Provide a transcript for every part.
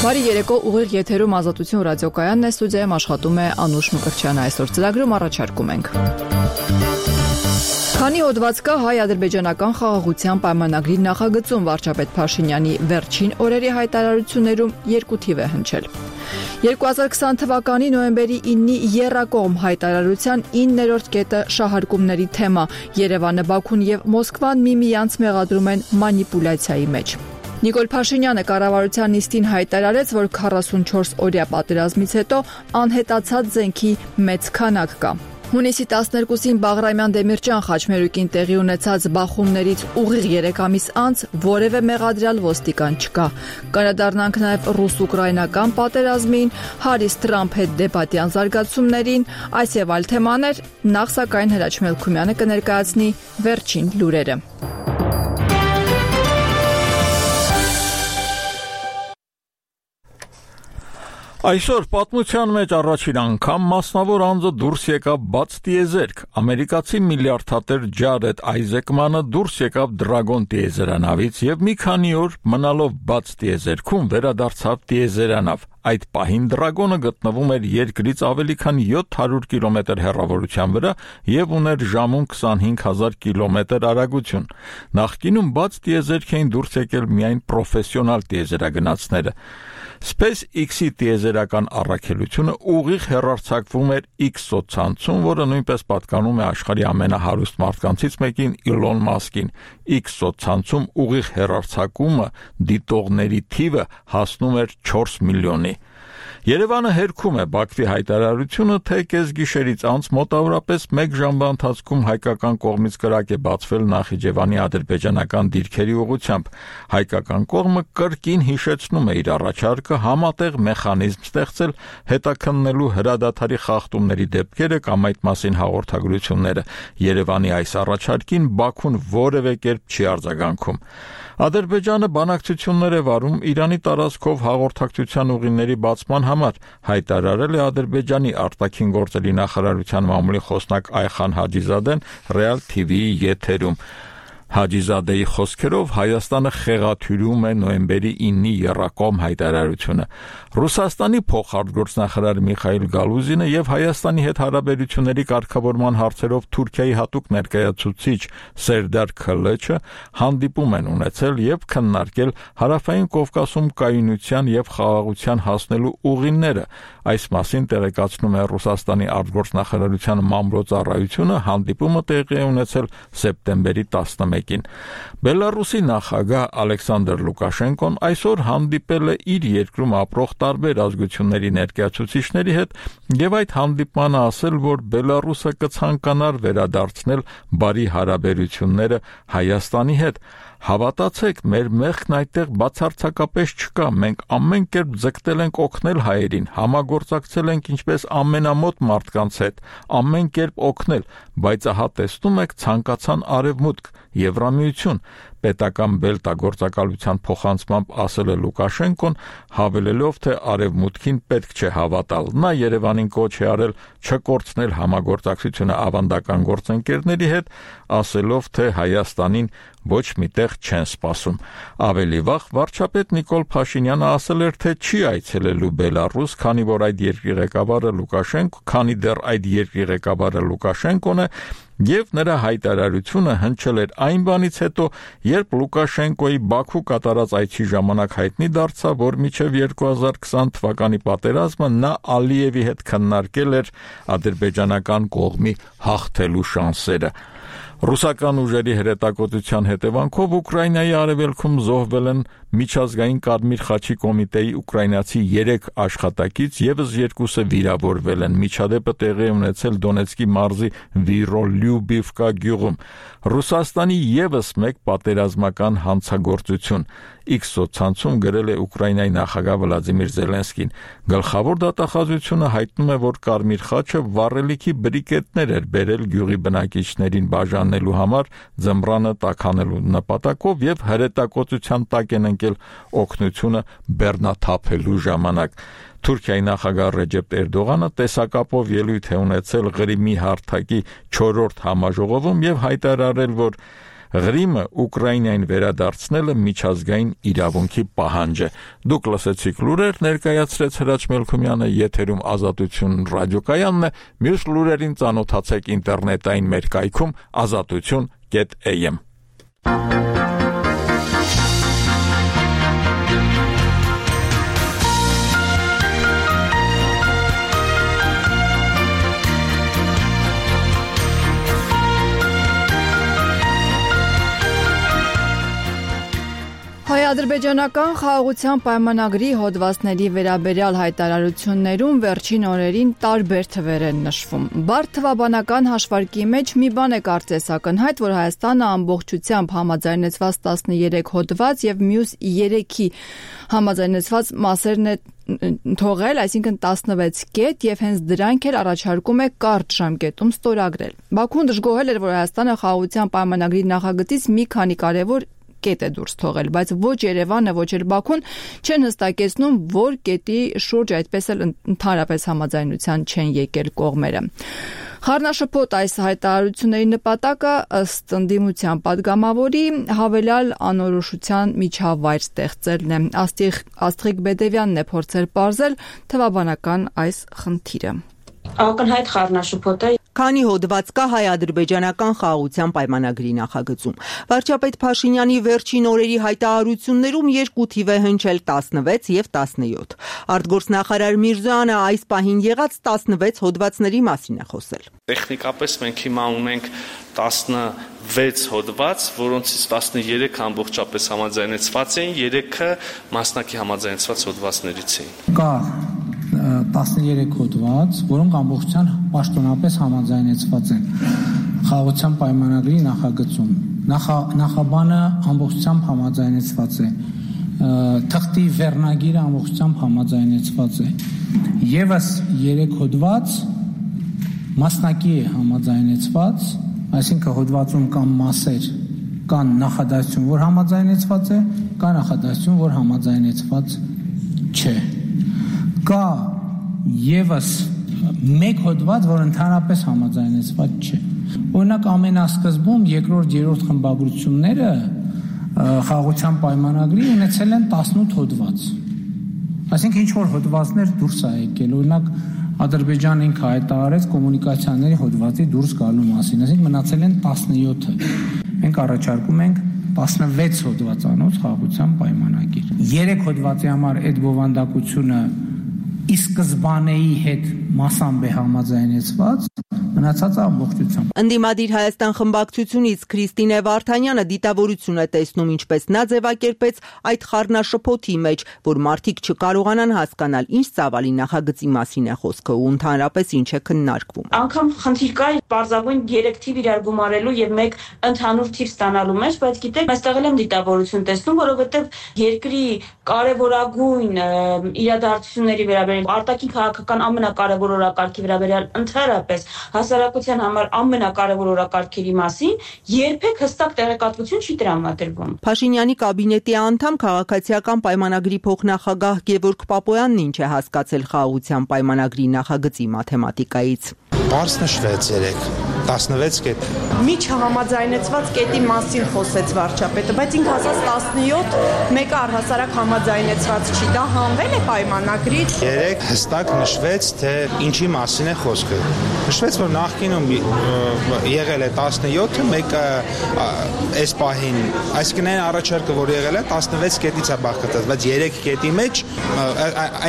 Բարի երեկո, ուղիղ եթերում Ազատություն ռադիոկայանն է, ստուդիայում աշխատում է Անուշ Մկրտչյանը, այսօր ծրագրում առաջարկում ենք. Քանի հոդված կա հայ-ադրբեջանական խաղաղության պայմանագրի նախագծում, վարչապետ Փաշինյանի վերջին օրերի հայտարարություններում 2 թիվ է հնչել. 2020 թվականի նոյեմբերի 9-ի եռակողմ հայտարարության 9-րդ կետը շահարկումների թեմա, Երևանը, Բաքուն եւ Մոսկվան միմյանց մեղադրում են մանիպուլյացիայի մեջ. Նիկոլ Փաշինյանը կառավարության նիստին հայտարարեց, որ 44 օրյա պատերազմից հետո անհետացած զենքի մեծ քանակ կա. Հունիսի 12-ին Բաղրամյան Դեմիրճյան խաչմերուկին տեղի ունեցած բախումներից ուղիղ 3 ամիս անց որևէ մեղադրյալ ոստիկան չկա. Կանդրադառնանք նաև ռուս-ուկրաինական պատերազմին, Հարիս Թրամփ հետ դեպատյան զարգացումներին, այս եւ այլ թեմաներ, նախ սակայն Հրաչ Մելքումյանը կներկայացնի վերջին լուրերը. Այսօր պատմության մեջ առաջին անգամ մասնավոր անձը դուրս եկավ բաց տիեզերք. ամերիկացի միլիարդատեր Ջարեդ Այզեկմանը դուրս եկավ Դրագոն տիեզերանավից եւ մի քանի օր մնալով բաց տիեզերքում վերադարձավ տիեզերանավ. Այդ պահին Դրագոնը գտնվում էր երկրից ավելի քան 700 կիլոմետր հեռավորության վրա եւ ուներ ժամում 25,000 կիլոմետր արագություն. Նախկինում բաց տիեզերք էին դուրս եկել միայն պրոֆեսիոնալ տիեզերագնացները. SpaceX-ի տիեզերական առաքելությունը ուղիղ հեռարձակվում էր X-ցանցում, որը նույնպես պատկանում է աշխարհի ամենահարուստ մարդկանցից մեկին Իլոն Մասկին. X-ցանցում ուղիղ հեռարձակումը դիտողների թիվը հասնում էր 4 միլիոնի. Երևանը հերքում է Բաքվի հայտարարությունը, թե կեսգիշերից անց մոտավորապես 1 ժամվա ընթացքում հայկական կողմից կրակ է բացվել Նախիջևանի ադրբեջանական դիրքերի ուղղությամբ. Հայկական կողմը կրկին հիշեցնում է իր առաջարկը համատեղ մեխանիզմ ստեղծել հետաքննելու հրադադարի խախտումների դեպքերը կամ այդ մասին հաղորդագրությունները. Երևանի այս առաջարկին Բաքուն որևէ կերպ չի արձագանքում. Ադրբեջանը բանակցություններ է վարում Իրանի տարածքով հաղորդակցության ուղիների բացման համար, հայտարարել է Ադրբեջանի արտաքին գործերի նախարարության մամուլի խոսնակ Այխան Հաջիզադեն Real TV-ի եթերում. Հաջիզադեի խոսքերով Հայաստանը խեղաթյուրում է նոյեմբերի 9-ի եռակողմ հայտարարությունը. Ռուսաստանի փոխարտգործնախարար Միխայիլ Գալուզինը եւ Հայաստանի հետ հարաբերությունների կարգավորման հարցերով Թուրքիայի հատուկ ներկայացուցիչ Սերդար Քլեչը հանդիպում են ունեցել եւ քննարկել Հարավային Կովկասում կայունության եւ խաղաղության հասնելու ուղիները. Այս մասին տեղեկացնում է Ռուսաստանի արտգործնախարարության մամլոյցարայությունը, հանդիպումը տեղի է ունեցել սեպտեմբերի 11-ին. Բելարուսի նախագահ Ալեքսանդր Լուկաշենկոն այսօր հանդիպել է իր երկրում ապրող տարբեր ազգությունների ներկայացուցիչների հետ եւ այդ հանդիպմանը ասել, որ Բելարուսը կցանկանար վերադարձնել բարի հարաբերությունները Հայաստանի հետ. Հավատացեք, մեր մեղքն այդտեղ բացարձակապես չկա, մենք ամեն կերպ ձգտել ենք օգնել հայերին, համագործակցել ենք ինչպես ամենամոտ մարդկանց հետ, ամեն կերպ օգնել, բայց ահա տեսնում եք ցանկացան արևմուտք, Եվրամիություն, պետական բելտագործակալության փոխանցմամբ ասել է Լուկաշենկոն, հավելելով, թե արևմուտքին պետք չէ հավատալ. Նա Երևանին կոչ է արել չկորցնել համագործակցությունը ավանդական գործընկերների հետ, ասելով, թե Հայաստանին ոչ միտեղ չեն սպասում. Ավելի վաղ վարչապետ Նիկոլ Փաշինյանը ասել էր, թե չի այցելելու Բելարուս, քանի դեռ այդ երկրի ղեկավարը Լուկաշենկոն է, եւ նրա հայտարարությունը հնչել էր այն բանից հետո, երբ Լուկաշենկոյի Բաքու կատարած այցի ժամանակ հայտնի դարձավ, որ մինչև 2020 թվականի պատերազմը նա Ալիևի հետ քննարկել էր ադրբեջանական կողմի հաղթելու շանսերը. Ռուսական ուժերի հրետակոծության հետևանքով Ուկրաինայի արևելքում զոհվել են Միջազգային Կարմիր խաչի կոմիտեի ուկրաինացի 3 աշխատակից, եւս 2-ը վիրավորվել են. Միջադեպը տեղի ունեցել Դոնեցկի մարզի Վիրոլյուբիվկա գյուղում. Ռուսաստանի եւս մեկ պատերազմական հանցագործություն. X-ցանցում գրել է Ուկրաինայի նախագահ Վլադիմիր Զելենսկին. Գլխավոր դատախազությունը հայտնում է, որ Կարմիր խաչը վառելիքի բրիկետներ էր բերել գյուղի բնակիչներին բաժանելու համար ձմռանը տաքանելու նպատակով եւ հրետակոծության տակ են ընկել օգնությունը բեռնաթափելու ժամանակ. Թուրքիայի նախագահ Ռեջեփ Էրդողանը տեսակապով ելույթ է ունեցել Ղրիմի հարթակի 4-րդ համաժողովում եւ հայտարարել, որ Ղրիմը Ուկրաինային վերադարձնելը միջազգային իրավունքի պահանջ է։ Դուք լսեցիք լուրեր, ներկայացրեց Հրաչ Մելքումյանը, եթերում Ազատություն ռադիոկայանն է, մյուս լուրերին ծանոթացեք ինտերնետային մեր կայքում azatutun.am։ Հայ-ադրբեջանական խաղաղության պայմանագրի հոդվածների վերաբերյալ հայտարարություններում վերջին օրերին տարբեր թվեր են նշվում։ Բարդ թվաբանական հաշվարկի մեջ մի բան է կարծես ակնհայտ, որ Հայաստանը ամբողջությամբ համաձայնեցված 13 հոդված եւ մյուս 3-ի համաձայնեցված մասերն է թողել, այսինքն 16 կետ, եւ հենց դրանք էլ առաջարկում է կարճ ժամկետում ստորագրել։ Բաքուն դժգոհել էր, որ Հայաստանը խաղաղության պայմանագրի նախագծից մի քանի կարևոր կետ է դուրս թողել, բայց ոչ Երևանը, ոչ էլ Բաքուն չեն հստակեցնում, որ կետի շուրջ այդպես էլ ընդհանրապես համաձայնության չեն եկել կողմերը։ Խառնաշփոթ այս հայտարարությունների նպատակը ըստ ընդդիմության падգամավորի հավելյալ անորոշության միջավայր ստեղծելն է։ Աստղիկ Բեդևյանն է փորձել պարզել թվաբանական այս խնդիրը։ Ակնհայտ խառնաշփոթ է։ Քանի հոդված կա հայ-ադրբեջանական խաղաղության պայմանագրի նախագծում։ Վարչապետ Փաշինյանի վերջին օրերի հայտարարություններում 2 թիվ է հնչել 16 եւ 17։ Արտգործնախարար Միրզոյանը այս պահին եղած 16 հոդվածների մասին է խոսել։ Տեխնիկապես մենք հիմա ունենք 16 հոդված, որոնցից 13 ամբողջապես համաձայնեցված էին, 3-ը մասնակի համաձայնեցված հոդվածներից էին։ Կա 13 հոդված, որոնք ամբողջությամբ պաշտոնապես համաձայնեցված են խաղաղության պայմանագրի նախագծում։ Նախաբանը ամբողջությամբ համաձայնեցված է, թղթի վերնագիրը ամբողջությամբ համաձայնեցված է։ Եվս 3 հոդված մասնակի է համաձայնեցված, այսինքն հոդվածում կան մասեր, կան նախադասություն, որ համաձայնեցված է, կա նախադասություն, որ համաձայնեցված չէ։ Կա եւս մեկ հոդված, որ ընդհանրապես համաձայնեցված չէ։ Օրինակ ամենասկզբում երկրորդ, երրորդ խմբագրությունները խաղաղության պայմանագրի ունեցել են 18 հոդված։ Այսինքն ինչ որ հոդվածներ դուրս է եկել, օրինակ Ադրբեջանը ինքը հայտարարեց կոմունիկացիաների հոդվածի դուրս գալու մասին, այսինքն մնացել են 17-ը։ Մենք առաջարկում ենք 16 հոդվածանոց խաղաղության պայմանագիր։ 3 հոդվածի համար այդ բովանդակությունը ի սկզբանեի հետ մասամբ է համաձայնեցված, մնացածը ամբողջությամբ։ Ընդդիմադիր Հայաստան խմբակցությունից Քրիստինե Վարդանյանը դիտավորություն է տեսնում, ինչպես նա ձևակերպեց այդ խառնաշփոթի մեջ, որ մարդիկ չկարողանան հասկանալ ինչ ծավալի նախագծի մասին է խոսքը ու ընդհանրապես ինչ է քննարկվում։ Անկամ խնդիր կա պարզագույն 3 թիվ իրար գումարելու եւ մեկ ընդհանուր թիվ ստանալու մեջ, բայց գիտեք, այստեղ էլ եմ դիտավորություն տեսնում, որովհետեւ երկրի կարևորագույն իրադարձությունների վերաբերյալ արտաքին քաղաքական ամենակարևոր օրակարգի վերաբերյալ ընդհանրապես հասարակության համար ամենակարևոր օրակարգերի մասին երբեք հստակ տեղեկատվություն չի տրամադրվում։ Փաշինյանի կաբինետի անդամ քաղաքացիական պայմանագրի փոխնախագահ Գևորգ Պապոյանն ինչ է հասկացել խաղաղության պայմանագրի նախագծի մաթեմատիկայից։ Պարզ նշվեց 16 կետ։ Միջհամաձայնեցված կետի մասին խոսեց վարչապետը, բայց ինքը ասաց 17, մեկը առհասարակ համաձայնեցված չի, դա հանվել է պայմանագրից։ 3 հստակ նշվեց, թե ինչի մասին է խոսքը։ Նշվեց, որ նախկինում եղել է 17-ը, մեկը այս պահին, այսինքն այն առաջարկը, որ եղել է 16 կետից է բաղկացած, բայց 3 կետի մեջ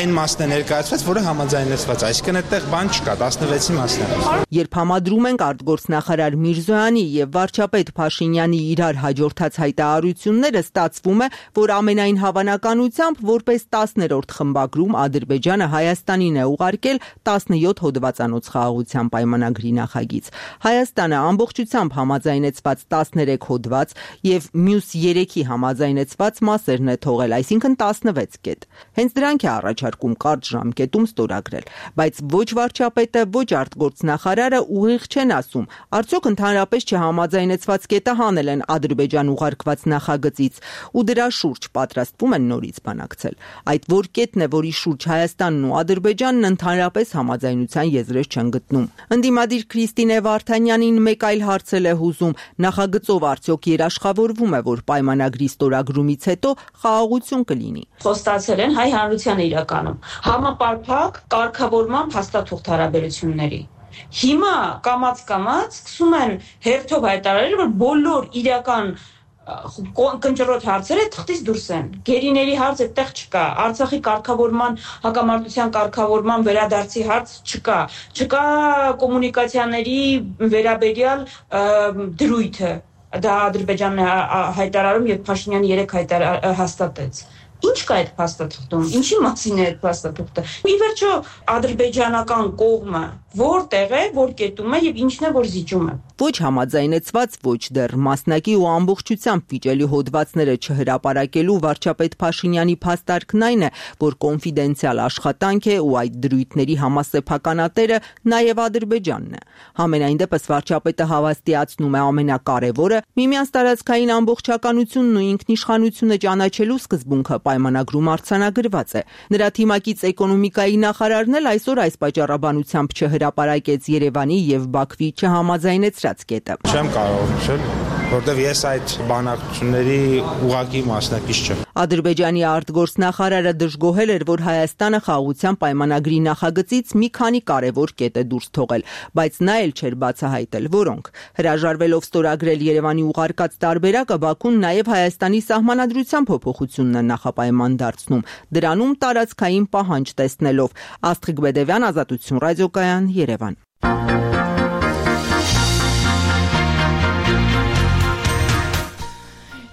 այն մասն է ներկայացված, որը համաձայնեցված, այսինքն այդտեղ բան չկա, 16-ի մասն է։ Երբ համադրում ենք արտգործնախարար Միրզոյանի եւ վարչապետ Փաշինյանի իրար հաջորդած հայտարարությունները, ստացվում է, որ ամենայն հավանականությամբ որպես 10-րդ խմբագրում Ադրբեջանը Հայաստանին է ուղարկել 17 հոդվածանոց խաղաղության պայմանագրի նախագիծ։ Հայաստանը ամբողջությամբ համաձայնեցված 13 հոդված եւ մյուս 3-ի համաձայնեցված մասերն է թողել, այսինքն 16 կետ։ Հենց դրանք է առաջարկում կարճ ժամկետում ստորագրել, բայց ոչ վարչապետը, ոչ արտգործնախարարը ուղիղ չեն ասում, խոսում։ Արդյոք ընդհանրապես չհամաձայնեցված կետը հանել են Ադրբեջան ուղարկված նախագծից ու դրա շուրջ պատրաստվում են նորից բանակցել։ Այդ որ կետն է, որի շուրջ Հայաստանն ու Ադրբեջանն ընդհանրապես համաձայնության եզրեր չեն գտնում։ Ընդդիմադիր Քրիստինե Վարդանյանին մեկ այլ հարց է հուզում. նախագծով արդյոք երաշխավորվում է, որ պայմանագրի ստորագրումից հետո խաղաղություն կլինի։ Խոստացել են հայ հանրությանը իրականում համապարփակ կարգավորման փաստաթուղթ հարաբերությունների։ Հիմա կամաց սկսում են հերթով հայտարարել, որ բոլոր իրական կնճռոտ հարցերը թղթից դուրս են։ Գերիների հարց այդտեղ չկա, Արցախի կարգավորման, հակամարտության կարգավորման վերադարձի հարց չկա, չկա կոմունիկացիաների վերաբերյալ դրույթը։ Դա Ադրբեջանն է հայտարարում եւ Փաշինյանը երեք հաստատեց։ Ինչ կա այդ փաստաթղթում, ինչի մասին է այդ փաստաթուղթը։ Ի վերջո ադրբեջանական կողմը որտեղ է, որ կետում է եւ ինչն է, որ զիջում է։ Ոչ համաձայնեցված, ոչ դեռ մասնակի ու ամբողջությամբ վիճելի հոդվածները չհրապարակելու վարչապետ Փաշինյանի փաստարկն այն է, որ կոնֆիդենցիալ աշխատանք է ու այդ դրույթների համասեփականատերը նաեւ Ադրբեջանն է։ Համենայն դեպս վարչապետը հավաստիացնում է ամենակարևորը՝ միմյանց տարածքային ամբողջականությունն ու ինքնիշխանությունը ճանաչելու սկզբունքը պայմանագրում արձանագրված է։ Նրա թիմակից էկոնոմիկայի նախարարն էլ այսօր այս պատճառաբանությամբ չհրապարակեց Երևանի եւ Բաքվի չհամաձայնեցրած կետը։ Չեմ կարող նշել, որտեղ ես այդ բանակցությունների ուղղակի մասնակից չեմ։ Ադրբեջանի արտգործնախարարը դժգոհել էր, որ Հայաստանը խաղաղության պայմանագրի նախագծից մի քանի կարևոր կետ է դուրս թողել, բայց նա էլ չէր բացահայտել որոնք։ Հրաժարվելով ստորագրել Երևանի ուղարկած տարբերակը, Բաքուն նաև Հայաստանի սահմանադրության փոփոխությունն է նախապայման դարձնում, դրանում տարածքային պահանջ տեսնելով։ Աստղիկ Բեդևյան, Ազատություն ռադիոկայան, Երևան։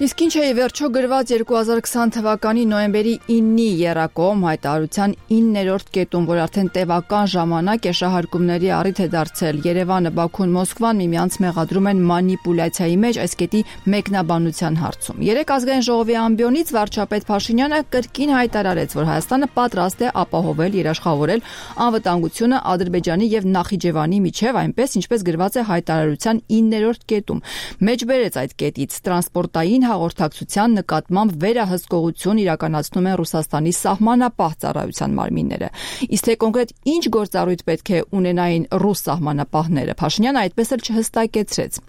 Իսկ ինչ է ի վերջո գրված 2020 թվականի նոյեմբերի 9-ի եռակողմ հայտարարության 9-րդ կետում, որ արդեն տևական ժամանակ է շահարկումների առիթ է դարձել Երևանը, Բաքուն, Մոսկվան միմյանց մեղադրում են մանիպուլյացիայի մեջ այս կետի մեկնաբանության հարցում։ Երեք ազգային ժողովի ամբիոնից վարչապետ Փաշինյանը կրկին հայտարարեց, որ Հայաստանը պատրաստ է ապահովել, երաշխավորել անվտանգությունը Ադրբեջանի եւ Նախիջևանի միջև, այնպես ինչպես գրված է հայտարարության 9-րդ կետում։ Մեջբերեց այդ կետից տրանսպորտային հաղորդակցության նկատմամբ վերահսկողություն իրականացնում են Ռուսաստանի սահմանապահ ծառայության մարմինները։ Իսկ թե կոնկրետ ինչ գործառույթ պետք է ունենային ռուս սահմանապահները, Փաշինյանը այդպես էլ չհստակեցրեց։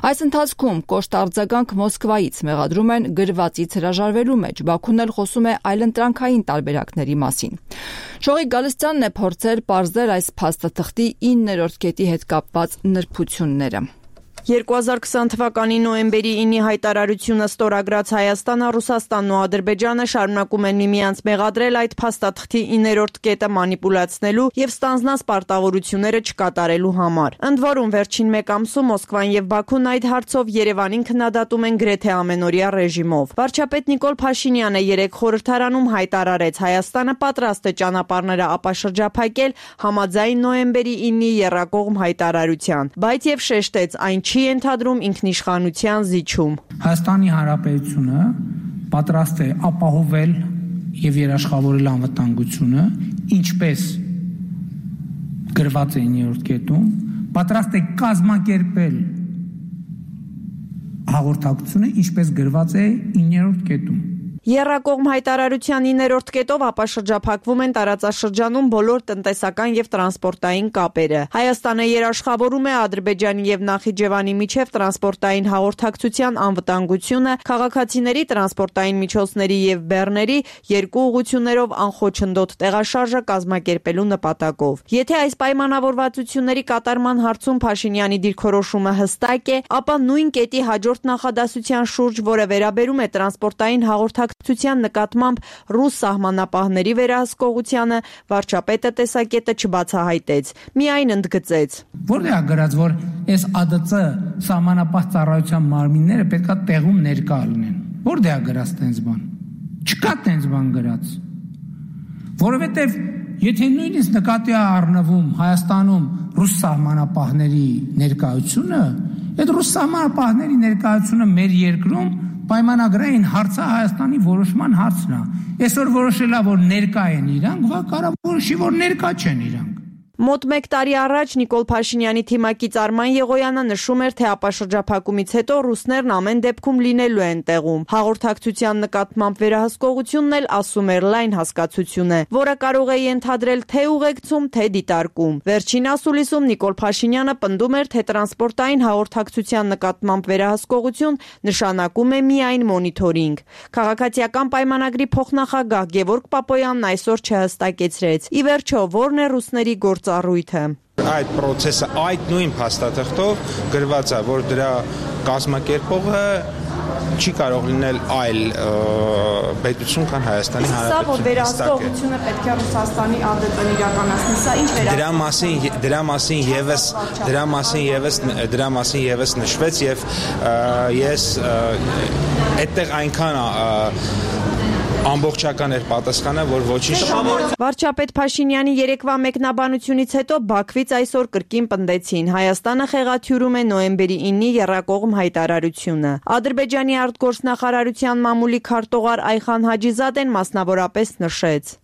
Այս ընթացքում կոշտ արձագանք Մոսկվայից մեղադրում են գրվածից հրաժարվելու մեջ, Բաքուն էլ խոսում է այլընտրանքային տարբերակների մասին։ Շողիկ Գալստյանն է փորձել պարզել այս փաստաթղթի 9-րդ կետի հետ կապված նրբությունները։ 2020 թվականի նոյեմբերի 9-ի հայտարարությունը ստորագրած Հայաստանը, Ռուսաստանն ու Ադրբեջանը շարունակում են միմյանց մեղադրել այդ փաստաթղթի 9-րդ կետը մանիպուլացնելու եւ ստանձնած պարտավորությունները չկատարելու համար։ Ընդ որում վերջին մեկ ամսում Մոսկվան եւ Բաքուն այդ հարցով Երևանին քննադատում են գրեթե ամենօրյա ռեժիմով։ Վարչապետ Նիկոլ Փաշինյանը երեք խորհրդարանում հայտարարեց, Հայաստանը պատրաստ է ճանապարհները ապաշրջափակել համաձայն նոյեմբերի 9-ի եռակողմ հայտարարության, բայց եւ շեշտեց, այն չի ենթադրում ինքնիշխանության զիջում։ Հայաստանի Հանրապետությունը պատրաստ է ապահովել եւ երաշխավորել անվտանգությունը, ինչպես գրված է 9-րդ կետում, պատրաստ է կազմակերպել հաղորդակցությունը, ինչպես գրված է 9-րդ կետում։ Եռակողմ հայտարարության 9-րդ կետով ապաշրջափակվում են տարածաշրջանում բոլոր տնտեսական եւ տրանսպորտային կապերը։ Հայաստանը երաշխավորում է Ադրբեջանի եւ Նախիջևանի միջև տրանսպորտային հաղորդակցության անվտանգությունը, քաղաքացիների տրանսպորտային միջոցների եւ բեռների երկու ուղղություններով անխոչնդոտ տեղաշարժը կազմակերպելու նպատակով։ Եթե այս պայմանավորվածությունների կատարման հարցում Փաշինյանի դիրքորոշումը հստակ է, ապա նույն կետի հաջորդ նախադասության շուրջ, որը վերաբերում է տրանսպորտային հաղորդակցության նկատմամբ ռուս սահմանապահների վերահսկողությանը, վարչապետը տեսակետը չբացահայտեց, միայն ընդգծեց. Որտեղ է գրած, որ այս ԱԴՑ սահմանապահ ծառայության մարմինները պետքա տեղում ներկա լինեն։ Որտեղ է գրած տենց բան։ Չկա տենց բան գրած։ Որովհետև եթե նույնիսկ նկատի է առնվում Հայաստանում ռուս սահմանապահների ներկայությունը, այդ ռուս սահմանապահների ներկայությունը մեր երկրում պայմանագրային հարցը Հայաստանի որոշման հարցն է։ Այսօր որոշելա, որ ներկա են իրանք, կարող որոշի, որ ներկա չեն իրանք։ Մոտ 1 տարի առաջ Նիկոլ Փաշինյանի թիմակից Արման Եղոյանը նշում էր, թե ապաշրջափակումից հետո ռուսներն ամեն դեպքում լինելու են տեղում։ Հաղորդակցության նկատմամբ վերահսկողությունն էլ, ասում էր, լայն հասկացություն է, որը կարող է ենթադրել թե ուղեկցում, թե դիտարկում։ Վերջին ասուլիսում Նիկոլ Փաշինյանը պնդում էր, թե տրանսպորտային հաղորդակցության նկատմամբ վերահսկողություն նշանակում է միայն մոնիթորինգ։ Քաղաքացիական պայմանագրի փոխնախագահ Գևորգ Պապոյանն այսօր չհստակեցրեց։ Ի վերջո, ո՞րն է ռուսների գործառույթը։ Այդ process-ը այդ նույն փաստաթղթով գրված է, որ դրա կազմակերպողը չի կարող լինել այլ պետություն, քան Հայաստանի Հանրապետությունը։ Սա որ վերահսկողությունը պետք է Ռուսաստանի ԱԴՏ-ն իրականացնի, սա ինչ դրա մասին եւս նշվեց եւ ես այդտեղ այնքան ամբողջական էր պատասխանը, որ ոչինչ։ Վարչապետ Փաշինյանի երեկվա մեկնաբանությունից հետո Բաքվից այսօր կրկին պնդեցին. Հայաստանը խեղաթյուրում է նոյեմբերի 9-ի եռակողմ հայտարարությունը։ Ադրբեջանի արտգործնախարարության մամուլի քարտուղար Այխան Հաջիզադեն մասնավորապես նշեց.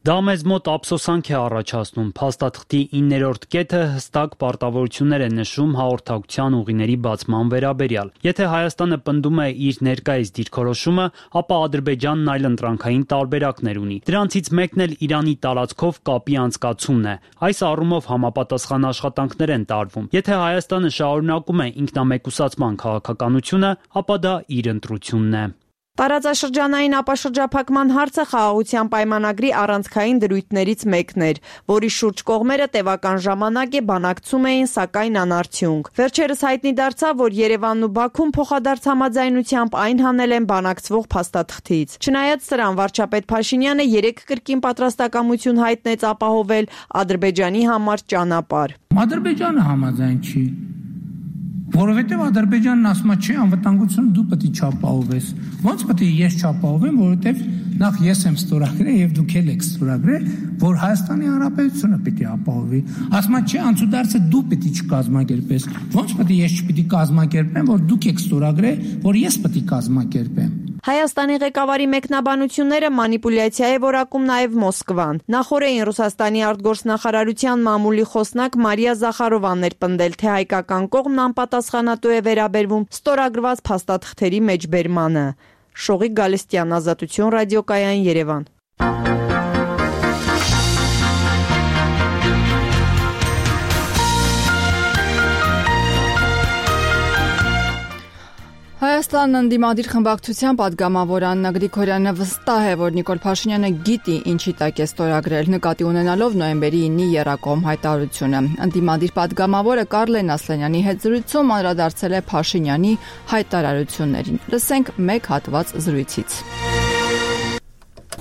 Դա մեզ մոտ ափսոսանք է առաջացնում։ Փաստաթղթի 9-րդ կետը հստակ պարտավորություններ է նշում հաղորդակցության ուղիների բացման վերաբերյալ։ Եթե Հայաստանը պնդում է իր ներկայիս դիրքորոշումը, ապա Ադրբեջանն այլ ընտրանքային տարբերակներ ունի։ Դրանցից մեկն էլ Իրանի տարածքով կապի անցկացումն է։ Այս առումով համապատասխան աշխատանքներ են տարվում։ Եթե Հայաստանը շարունակում է ինքնամեկուսացման քաղաքականությունը, ապա դա իր ընտրությունն է։ Տարածաշրջանային ապաշրջափակման հարցը խաղաղության պայմանագրի առանցքային դրույթներից մեկն էր, որի շուրջ կողմերը տևական ժամանակ է բանակցում էին, սակայն անարդյունք։ Վերջերս հայտնի դարձավ, որ Երևանն ու Բաքուն փոխադարձ համաձայնությամբ այն հանել են բանակցվող փաստաթղթից։ Չնայած սրան, վարչապետ Փաշինյանը 3 կրկին պատրաստակամություն հայտնեց ապահովել Ադրբեջանի համար ճանապարհ։ Ադրբեջանը համաձայն չի։ Որովհետև Ադրբեջանն ասում է, չէ, անվտանգությունը դու պետք է չապահովես։ Ոնց պետք է ես չապահովեմ, որովհետև նախ ես եմ ստորագրել եւ դուք եք ստորագրել, որ Հայաստանի Հանրապետությունը պետք է ապահովի։ Ասում է, չէ, անցուդարձը դու պետք է չկազմակերպես։ Ոնց պետք է ես չպետք է կազմակերպեմ, որ դուք եք ստորագրել, որ ես պետք է կազմակերպեմ։ Հայաստանի ղեկավարի մեկնաբանությունները մանիպուլյացիա է որակում նաև Մոսկվան։ Նախորդին Ռուսաստանի արտգործնախարարության մամուլի խոսնակ Մարիա Զախարովան էր պնդել, թե հայկական կողմն անպատասխանատու է վերաբերվում ստորագրված փաստաթղթերի մեջբերմանը։ Շողիկ Գալստյան, Ազատություն ռադիոկայան, Երևան։ Հայաստանն ընդդիմադիր խմբակցության պատգամավոր Աննա Գրիգորյանը վստահ է, որ Նիկոլ Փաշինյանը գիտի ինչի տակ է ստորագրել, նկատի ունենալով նոյեմբերի 9-ի եռակողմ հայտարարությունը։ Ընդդիմադիր պատգամավորը Կարլեն Ասլանյանի հետ զրույցում անդրադարձել է Փաշինյանի հայտարարություններին։ Լսենք մեկ հատված զրույցից։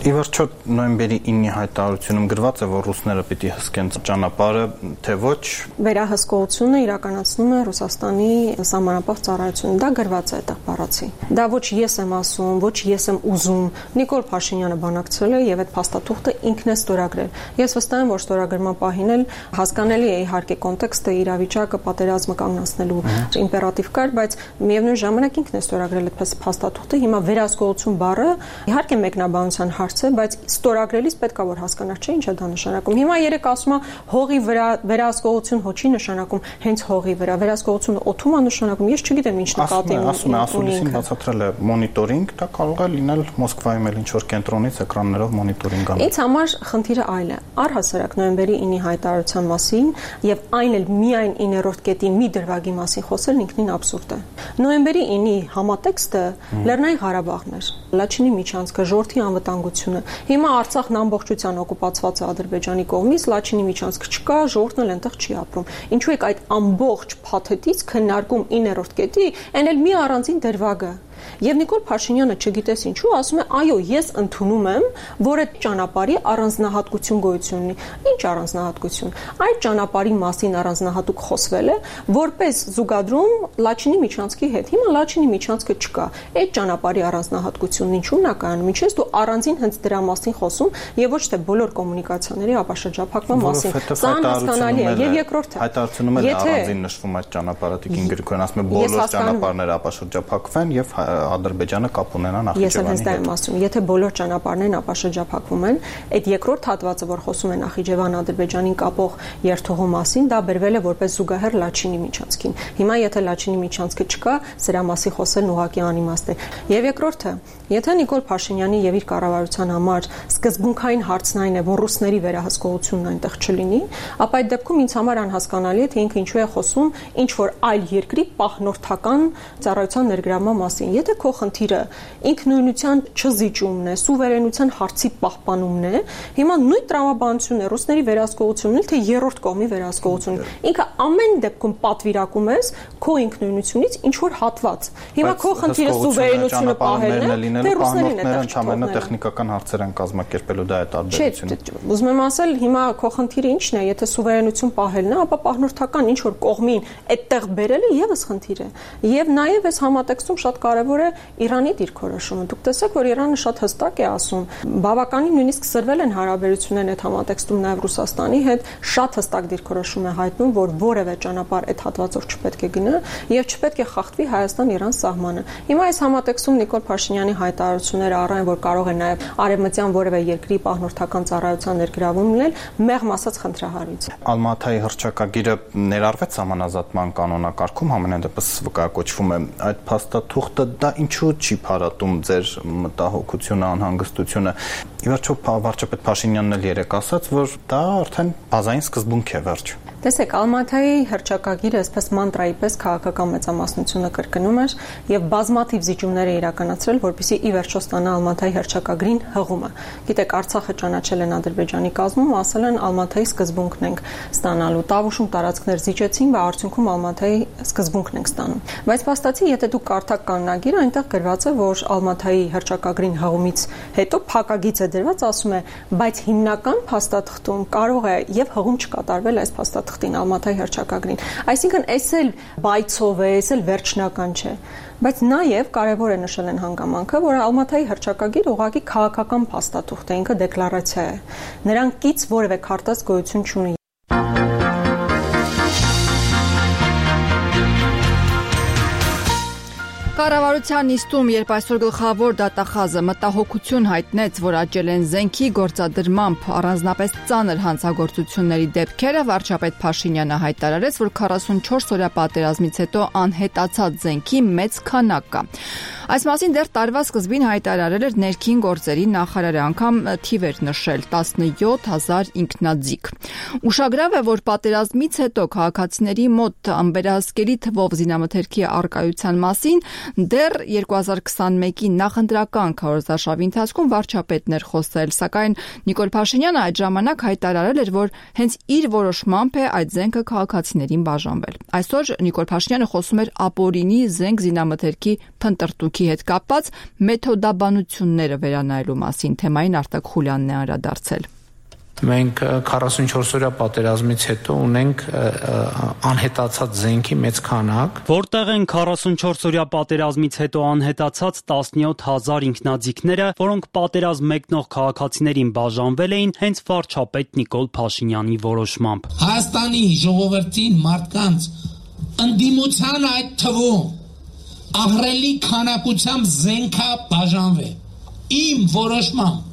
Ի վերջո նոյեմբերի 9-ի հայտարարությունում գրված է, որ ռուսները պիտի հսկեն ճանապարհը, թե ոչ։ Վերահսկողությունը իրականացնում է Ռուսաստանի սահմանապահ ծառայությունը։ Դա գրված է այդտեղ բառացի։ Դա ոչ ես եմ ասում, ոչ ես եմ ուզում։ Նիկոլ Փաշինյանը բանակցել է եւ այդ փաստաթուղթը ինքն է ստորագրել։ Ես վստահ եմ, որ ստորագրման պահին էլ հասկանալի է իհարկե կոնտեքստը, իրավիճակը, պատերազմը կանգնացնելու իմպերատիվ կար, բայց միևնույն ժամանակ ինքն է ստորագրել այդ փաստաթուղթը։ Հիմա վերահսկողություն բառը իհարկե մեկնաբանության հարց է, բայց ստորագրելիս պետք է որ հասկանալ, չէ՞ ինչ է դա նշանակում։ Հիմա երեք ասում է հողի վրա վերահսկողություն հոչի նշանակում, հենց հողի վրա վերահսկողությունը օթում է նշանակում։ Ես չգիտեմ ինչ նկատի ունի։ Ասում է, ասուլիսին բացատրել է մոնիտորինգ, դա կարող է լինել Մոսկվայում էլ ինչ որ կենտրոնից էկրաններով մոնիտորինգ անում։ Ինձ համար խնդիրը այլ է։ Առհասարակ նոյեմբերի 9-ի հայտարարության մասին եւ այն էլ միայն 9-րդ կետի մի դրվագի մասին խոսելն ինքնին աբսուրդ է։ Նոյեմբերի 9-ի համատեքստը Լեռնային Ղարաբաղն էր, Լաչինի միջանցքը, ժողովրդի անվտանգությունը։ Հիմա Արցախն ամբողջությամբ օկուպացված է Ադրբեջանի կողմից, Լաչինի միջանցք չկա, ժողովուրդն էլ այնտեղ չի ապրում։ Ինչու եք այդ ամբողջ փաթեթից քննարկում 9-րդ կետի, այն էլ մի առանձին դրվագը։ Եվ Նիկոլ Փաշինյանը չգիտես ինչու ասում է, այո, ես ընդունում եմ, որ այդ ճանապարհի առանձնահատկություն գոյություն ունի։ Ինչ առանձնահատկություն։ Այդ ճանապարհի մասին առանձնահատուկ խոսվել է, որպես զուգադրում Լաչինի միջանցքի հետ։ Հիմա Լաչինի միջանցքը չկա։ Այդ ճանապարհի առանձնահատկությունն ինչու՞մն է կայանում։ Ինչպես դու առանձին հենց դրա մասին խոսում եւ ոչ թե բոլոր կոմունիկացիաների ապաշրջափակման մասին։ Սա անհասկանալի է։ Եվ երկրորդը հայտարարությունում էլ առանձին նշվում այդ ճանապարհը Տիկին Գրիգորյան ասում է բոլոր ճանապարհները ապաշրջափակվեն եւ Ադրբեջանը կապ ունենա Նախիջևանի հետ։ Ես հենց դա եմ ասում, եթե բոլոր ճանապարհներն ապաշրջափակվում են, այդ երկրորդ հատվածը, որ խոսում է Նախիջևան-Ադրբեջանին կապող երթուղու մասին, դա բերվել է որպես զուգահեռ Լաչինի միջանցքին։ Հիմա եթե Լաչինի միջանցքը չկա, սրա մասի խոսելն ուղղակի անիմաստ է։ Եվ երկրորդը, եթե Նիկոլ Փաշինյանի եւ իր կառավարության համար սկզբունքային հարցն այն է, որ ռուսների վերահսկողությունն այնտեղ չլինի, ապա այդ դեպքում ինձ համար անհասկանալի է, թե ինքը ինչու է խոսում ինչ որ այլ երկրի պահնորդական ծառայության ներգրավման մասին։ Եթե քո խնդիրը ինքնուրույնության չզիջումն է, սուվերենության հարցի պահպանումն է, հիմա նույն տրամաբանությունն է ռուսների վերահսկողությունն էլ թե երրորդ կողմի վերահսկողություն։ Ինքը ամեն դեպքում պատվիրակում ես քո ինքնուրույնությունից ինչ որ հատված։ Հիմա քո խնդիրը սուվերենությունը պահելն է, թե ռուսներին է ընդհանրապես տեխնիկական հարցեր են կազմակերպելու, դա է տարբերությունը։ Ուզում եմ ասել, հիմա քո խնդիրը ինչն է, եթե սուվերենություն պահելն է, ապա պահնորդական ինչ որ կողմին այդտեղ բերելը եւս խնդիր է։ Եվ նաեւ այս համատեքստում շատ կարեւոր է Իրանի դիրքորոշումը։ Դուք տեսեք, որ Իրանը շատ հստակ է ասում, բավականին նույնիսկ սրվել են հարաբերություններն այդ համատեքստում նաեւ Ռուսաստանի հետ, շատ հստակ դիրքորոշում է հայտնում, որ որևէ ճանապարհ այդ հատվածով չպետք է գնա եւ չպետք է խախտվի Հայաստան-Իրան սահմանը։ Հիմա այս համատեքստում Նիկոլ Փաշինյանի հայտարարությունները առայն որ կարող է նաեւ արևմտյան որևէ երկրի պահնորդական ծառայության ներգրավում լինել, մեղմ ասած խնդրահարույց։ Ալմաթայի հռչակագիրը ներառվեց համանազատման կանոնակարգում, համենայն դեպս վկայակոչվում է այդ փաստաթուղթը, դա ինչու չի փարատում ձեր մտահոգությունը, անհանգստությունը։ Ի վերջո վարչապետ Փաշինյանն էլ երեք ասաց, որ դա արդեն բազային սկզբունք է, վերջ։ Տեսեք, Ալմաթայի հռչակագիրը այսպես մանտրայի պես քաղաքական մեծամասնությունը կրկնում էր եւ բազմաթիվ զիջումներ է իրականացրել, որպեսզի ի վերջո ստանա Ալմաթայի հռչակագրին հղումը։ Գիտեք, Արցախը ճանաչել են Ադրբեջանի կազմում, ասել են Ալմաթայի սկզբունքն ենք ստանալու։ Տավուշում տարածքներ զիջեցին, բայց արդյունքում Ալմաթայի սկզբունքն ենք ստանում։ Բայց փաստացի, եթե դուք կարդաք կանոնագիրը, այնտեղ գրված է, որ Ալմաթայի հռչակագրին հղումից հետո փակագիծ է դրված, ասում է, բայց հիմնական փաստաթղթում կարող է եւ հղում չկատարվել այս փաստաթղթին Ալմաթայի հռչակագրին։ Այսինքն, այս էլ բայցով է, այս էլ վերջնական չէ։ Բայց նաև կարևոր է նշել են հանգամանքը, որ Ալմաթայի հռչակագիրը ուղղակի քաղաքական փաստաթուղթ է, ինքը դեկլարացիա է։ Նրան կից որևէ քարտած գոյություն չունի։ Կառավարության նիստում, երբ այսօր գլխավոր դատախազը մտահոգություն հայտնեց, որ աճել են զենքի գործադրմամբ առանձնապես ծանր հանցագործությունների դեպքերը, վարչապետ Փաշինյանը հայտարարեց, որ 44 օրյա պատերազմից հետո անհետացած զենքի մեծ քանակ կա։ Այս մասին դեռ տարվա սկզբին հայտարարել էր ներքին գործերի նախարարը, անգամ թիվ էր նշել 17000 ինքնաձիգ։ Ուշագրավ է, որ պատերազմից հետո քաղաքացիների մոտ անվերահսկելի թվով զինամթերքի առկայության մասին դեռ 2021-ի նախընտրական քարոզարշավի ընթացքում վարչապետն էր խոսել, սակայն Նիկոլ Փաշինյանը այդ ժամանակ հայտարարել էր, որ հենց իր որոշմամբ է այդ զենքը քաղաքացիներին բաժանվել։ Այսօր Նիկոլ Փաշինյանը խոսում էր ապօրինի զենք զինամթերքի փնտրտուքի հետ կապված մեթոդաբանությունները վերանայելու մասին, թեմային Արտակ Խուլյանն է անդրադարձել։ Մենք 44 օրյա պատերազմից հետո ունենք անհետացած զենքի մեծ քանակ, որտեղ են 44 օրյա պատերազմից հետո անհետացած 17000 ինքնաձիգները, որոնք պատերազմ մեկնող քաղաքացիներին բաժանվել էին հենց վարչապետ Նիկոլ Փաշինյանի որոշմամբ։ Հայաստանի ժողովրդին մարդկանց ընդդիմության այդ թվում ահռելի քանակությամբ զենքա բաժանվել իմ որոշմամբ։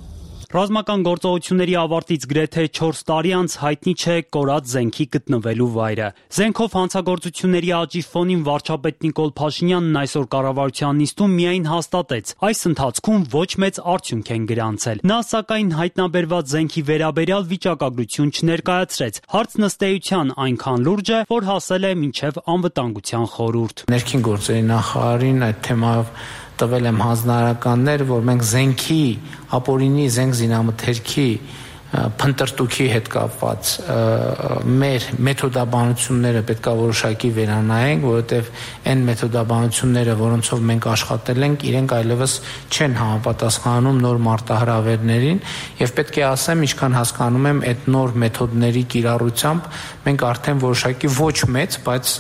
Ռազմական գործողությունների ավարտից գրեթե 4 տարի անց հայտնի չէ կորած զենքի գտնվելու վայրը։ Զենքով հանցագործությունների աճի ֆոնին վարչապետ Նիկոլ Փաշինյանն այսօր կառավարության նիստում միայն հաստատեց, այս ընթացքում ոչ մեծ արդյունք են գրանցել։ Նա սակայն հայտնաբերված զենքի վերաբերյալ վիճակագրություն չներկայացրեց։ Հարցն ըստ էության այնքան լուրջ է, որ հասել է մինչև անվտանգության խորհուրդ։ Ներքին գործերի նախարարին այդ թեմայով տվել եմ հանձնարարականներ, որ մենք զենքի, ապօրինի զենք զինամթերքի փնտրտուքի հետ կապված մեր մեթոդաբանությունները պետքա որոշակի վերանայենք, որովհետև այն մեթոդաբանությունները, որոնցով մենք աշխատել ենք, իրենք այլևս չեն համապատասխանում նոր մարտահրավերներին, եւ պետք է ասեմ, ինչքան հասկանում եմ, այդ նոր մեթոդների կիրառությամբ մենք արդեն որոշակի ոչ մեծ, բայց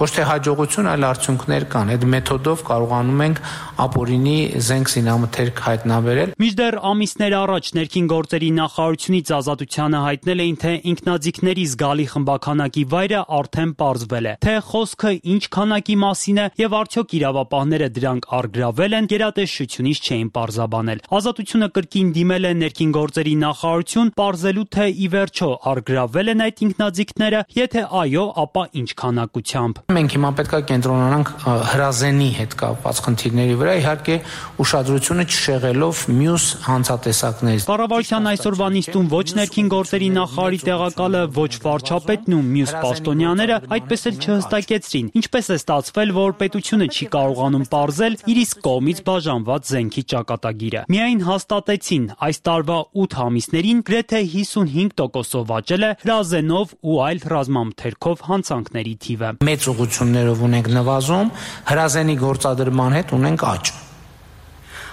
ոչ թե հաջողություն, այլ արդյունքներ կան։ Այդ մեթոդով կարողանում ենք ապօրինի զենք զինամթերք հայտնաբերել։ Մինչդեռ ամիսներ առաջ ներքին գործերի նախարար խաղաղարարությունից Ազատությանը հայտնել էին, թե ինքնաձիգների զգալի խմբաքանակի վայրը արդեն պարզվել է, թե խոսքը ինչ քանակի մասին է եւ արդյոք իրավապահները դրանք առգրավել են, գերատեսչությունից չէին պարզաբանել։ Ազատությունը կրկին դիմել է ներքին գործերի նախարարություն, պարզելու թե ի վերջո առգրավել են այդ ինքնաձիգները, եթե այո, ապա ինչ քանակությամբ։ Մենք հիմա պետք է կենտրոնանանք հրազենի հետ կապված խնդիրների վրա, իհարկե ուշադրությունը չշեղելով մյուս հանցատեսակներից։ Կառավարության այսօրվա նիստում ոչ ներքին գործերի նախարարի տեղակալը, ոչ վարչապետն ու մյուս պաշտոնյաները այդպես էլ չհստակեցրին, ինչպես է ստացվել, որ պետությունը չի կարողանում պարզել իր իսկ կողմից բաժանված զենքի ճակատագիրը։ Միայն հաստատեցին, այս տարվա 8 ամիսներին գրեթե 55%-ով աճել է հրազենով ու այլ ռազմամթերքով հանցանքների թիվը։ Մեծ ուղղություններով ունենք նվազում, հրազենի գործադրման հետ ունենք աճ։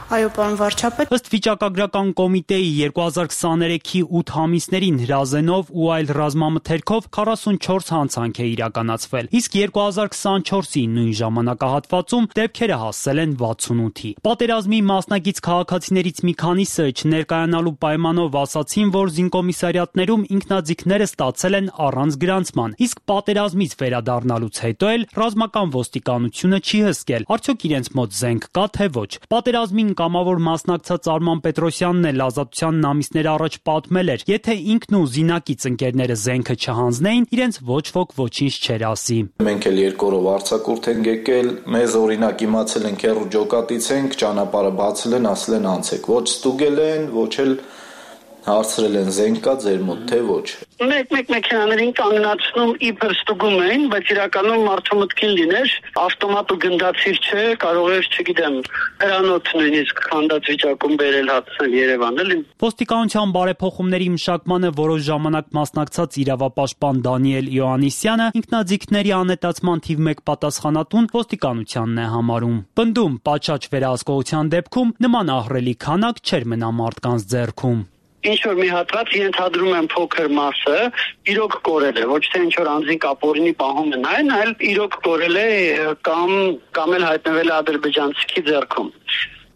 Այո, պարոն վարչապետ։ Ըստ վիճակագրական կոմիտեի 2023-ի 8 ամիսներին հրազենով ու այլ ռազմամթերքով 44 հանցանք է իրականացվել, իսկ 2024-ի նույն ժամանակահատվածում դեպքերը հասել են 68-ի։ Պատերազմի մասնակից քաղաքացիներից մի քանիսը չներկայանալու պայմանով ասացին, որ զինկոմիսարիատներում ինքնաձիգները ստացել են առանց գրանցման, իսկ պատերազմից վերադառնալուց հետո էլ ռազմական ոստիկանությունը չի հսկել, արդյոք իրենց մոտ զենք կա թե ոչ։ Պատերազմին կամավոր մասնակցած Արման Պետրոսյանն էլ Ազատությանն ամիսներ առաջ պատմել էր, եթե ինքն ու զինակից ընկերները զենքը չհանձնեին, իրենց ոչ ոք ոչինչ չէր ասի։ Մենք էլ երկու օրով արձակուրդ ենք եկել, մեզ օրինակ իմացել ենք հեռու ջոկատից ենք, ճանապարհը բացել են, ասել են անցեք, ոչ ստուգել են, ոչ էլ հարցրել են զենք կա ձեր մոտ թե ոչ։ Մեկ մեքենաներին կանգնացնում իբր ստուգում էին, բայց իրականում մարդու մտքին լիներ, ավտոմատ ու գնդացիր չէ, կարող էր, չգիտեմ, հրանոց նույնիսկ քանդած վիճակում բերել հատնել Երևան, էլի։ Ոստիկանության բարեփոխումների մշակմանը որոշ ժամանակ մասնակցած իրավապաշտպան Դանիել Իոաննիսյանը ինքնաձիգների անետացման թիվ 1 պատասխանատուն ոստիկանությանն է համարում։ Պնդում պատշաճ վերահսկողության դեպքում նման ահռելի քանակ չէր մնա մարդկանց ձեռքում։ Ինչ որ մի հատված ենթադրում են փոքր մասը իրոք կորել է, ոչ թե ինչ որ անձին կապորինի պահում են այն, այլ իրոք կորել է կամ էլ հայտնվել է ադրբեջանցիքի ձեռքում։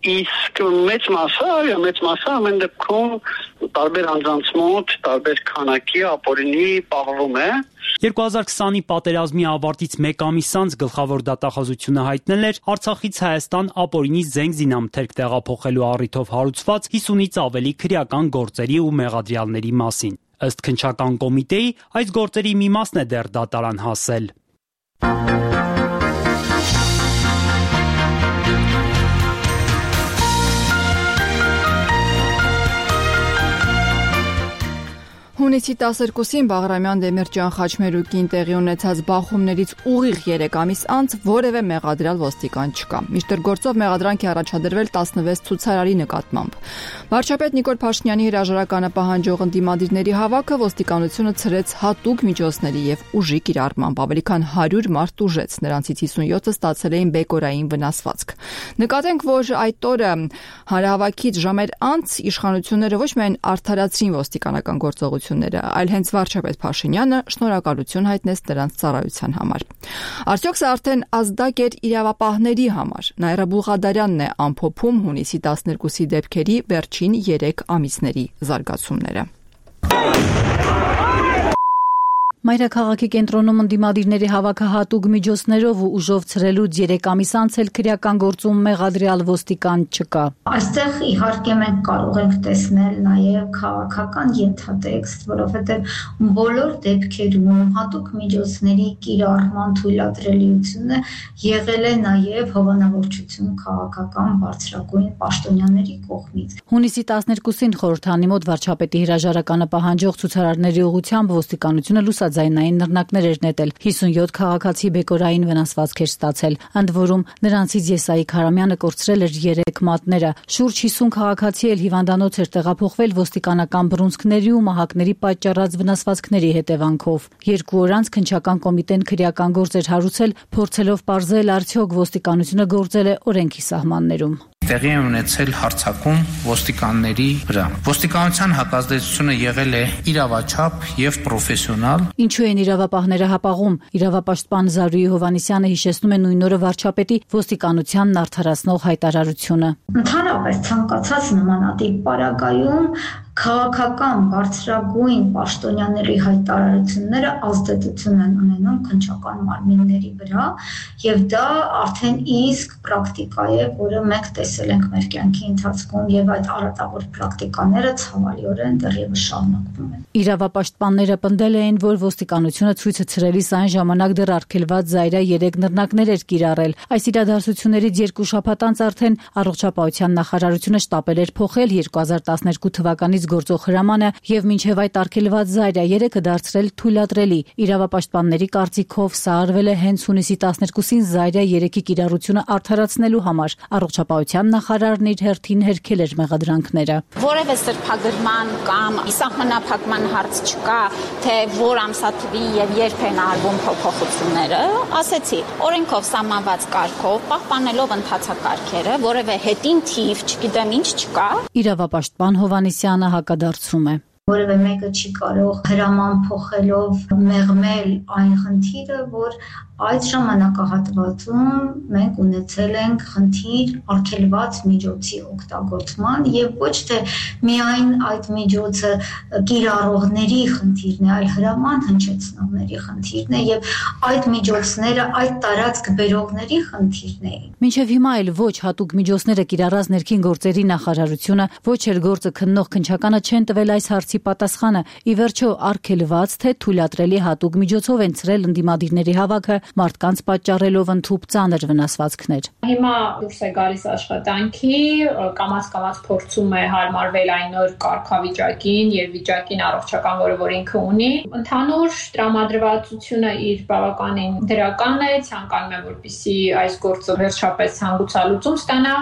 Իսկ մեծ մասը ամեն դեպքում տարբեր անձանց մոտ, տարբեր քանակի ապօրինի պահվում է։ 2020-ի պատերազմի ավարտից 1 ամիս անց գլխավոր դատախազությունը հայտնել էր Արցախից Հայաստան ապօրինի զենք զինամթերք տեղափոխելու առիթով հարուցված 50-ից ավելի քրեական գործերի ու մեղադրյալների մասին։ Ըստ քննչական կոմիտեի, այս գործերի մի մասն է դեռ դատարան հասել։ Հունիսի 12-ին Բաղրամյան Դեմիրճյան Խաչմերուկին տեղի ունեցած բախումներից ուղիղ 3 ամիս անց որևէ մեղադրյալ ոստիկան չկա։ Մինչդեռ գործով մեղադրանք է առաջադրվել 16 ցուցարարի նկատմամբ։ Վարչապետ Նիկոլ Փաշինյանի հրաժարականը պահանջող ընդդիմադիրների հավաքը ոստիկանությունը ցրեց հատուկ միջոցների եւ ուժի կիրառմամբ։ Ավելի քան 100 մարդ տուժեց, նրանցից 57-ը ստացել էին բեկորային վնասվածք։ Նկատենք, որ այդ օրը հանրահավաքից ժամեր անց իշխանությունները ոչ միայն արդարացրին ոստիկանական գործողությունները, այլ հենց վարչապետ Փաշինյանը շնորհակալություն հայտնեց նրանց ծառայության համար։ Արդյոք սա արդեն ազդակ էր իրավապահների համար։ Նաիրա Բուղադարյանն է ամփոփում հունիսի 12-ի դեպքերի վերջին 3 ամիսների զարգացումները։ Մայրաքաղաքի կենտրոնում ընդդիմադիրների հավաքը հատուկ միջոցներով ու ուժով ցրելուց 3 ամիս անց էլ քրեական գործում մեղադրյալ ոստիկան չկա։ Այստեղ իհարկե մենք կարող ենք տեսնել նաև քաղաքական ենթատեքստ, որովհետև բոլոր դեպքերում հատուկ միջոցների կիրառման թույլատրելիությունը եղել է նաև հովանավորչություն քաղաքական բարձրագույն պաշտոնյաների կողմից։ Հունիսի 12-ին խորհրդանի մոտ վարչապետի հրաժարականը պահանջող ցուցարարների ուղղությամբ ոստիկանությունը լուսաձայնային նռնակներ էր նետել։ 57 քաղաքացի բեկորային վնասվածք էր ստացել, ընդ որում նրանցից Եսայի Քարամյանը կորցրել էր 3 մատները։ Շուրջ 50 քաղաքացի էլ հիվանդանոց էր տեղափոխվել ոստիկանական բռունցքների ու մահակների պատճառած վնասվածքների հետևանքով։ 2 օր անց քննչական կոմիտեն քրեական գործ էր հարուցել, փորձելով պարզել արդյոք ոստիկանությունը գործել է օրենքի սահմաններում։ Տեղի է ունեցել հարձակում ոստիկանների վրա։ Ոստիկանության հակազդեցությունը եղել է իրավաչափ եւ պրոֆեսիոնալ։ Ինչու են իրավապահները հապաղում։ Իրավապաշտպան Զարուհի Հովհաննիսյանը հիշեցնում է նույն օրը վարչապետի ոստիկանությանն արդարացնող հայտարարությունը։ Ընդհանրապես ցանկացած նմանատիպ պարագայում քաղաքական բարձրագույն պաշտոնյաների հայտարարությունները ազդեցություն են ունենում քննչական մարմինների վրա, եւ դա արդեն իսկ պրակտիկա է, որը մենք տեսել ենք մեր կյանքի ընթացքում, եւ այդ արատավոր պրակտիկաները ցավալիորեն դեռևս շարունակվում են։ Իրավապաշտպանները պնդել էին, որ ոստիկանությունը ցույցը ցրելիս այն ժամանակ դեռ արգելված Զայրա 3 նռնակներ էր կիրառել։ Այս իրադարձություններից 2 շաբաթ անց արդեն առողջապահության նախարարությունը շտապել էր փոխել 2012 թվականից գործող հրամանը եւ մինչեւ այդ արգելված Զայրա 3-ը դարձրել թույլատրելի։ Իրավապաշտպանների կարծիքով սա արվել է հենց հունիսի 12-ին Զայրա 3-ի կիրառությունը արդարացնելու համար։ Առողջապահության նախարարն իր հերթին հերքել էր մեղադրանքները։ Որևէ սրբագրման կամ սահմանափակման հարց չկա, թե որ ամսաթվի եւ երբ են արվում փոփոխությունները, ասեցի, օրենքով սահմանված կարգով, պահպանելով ընթացակարգերը, որևէ հետին թիվ, չգիտեմ ինչ չկա։ Իրավապաշտպան Հովանեսյանը հակադարձում է։ Որևէ մեկը չի կարող հրաման փոխելով մեղմել այն խնդիրը, որ այդ ժամանակահատվածում մենք ունեցել ենք խնդիր արգելված միջոցի օգտագործման եւ ոչ թե միայն այդ միջոցը կիրառողների խնդիրն է, այլ հրաման հնչեցնողների խնդիրն է եւ այդ միջոցները այդ տարածք բերողների խնդիրն է։ Մինչև հիմա էլ ոչ հատուկ միջոցները կիրառած ներքին գործերի նախարարությունը, ոչ էլ գործը քննող քննչականը չեն տվել այս հարցի պատասխանը։ Ի վերջո արգելված թե թույլատրելի հատուկ միջոցով են ցրել ընդդիմադիրների հավաքը, մարդկանց պատճառելով ընդհուպ ծանր վնասվածքներ։ Հիմա դուրս է գալիս աշխատանքի, կամաց փորձում է հարմարվել այն նոր կարգավիճակին եւ վիճակին առողջական, որը ինքը ունի։ Ընդհանուր տրամադրվածությունը իր բավականին դրական է, ցանկանում է որպեսզի այս գործը վերջապես հանգուցալուծում ստանա,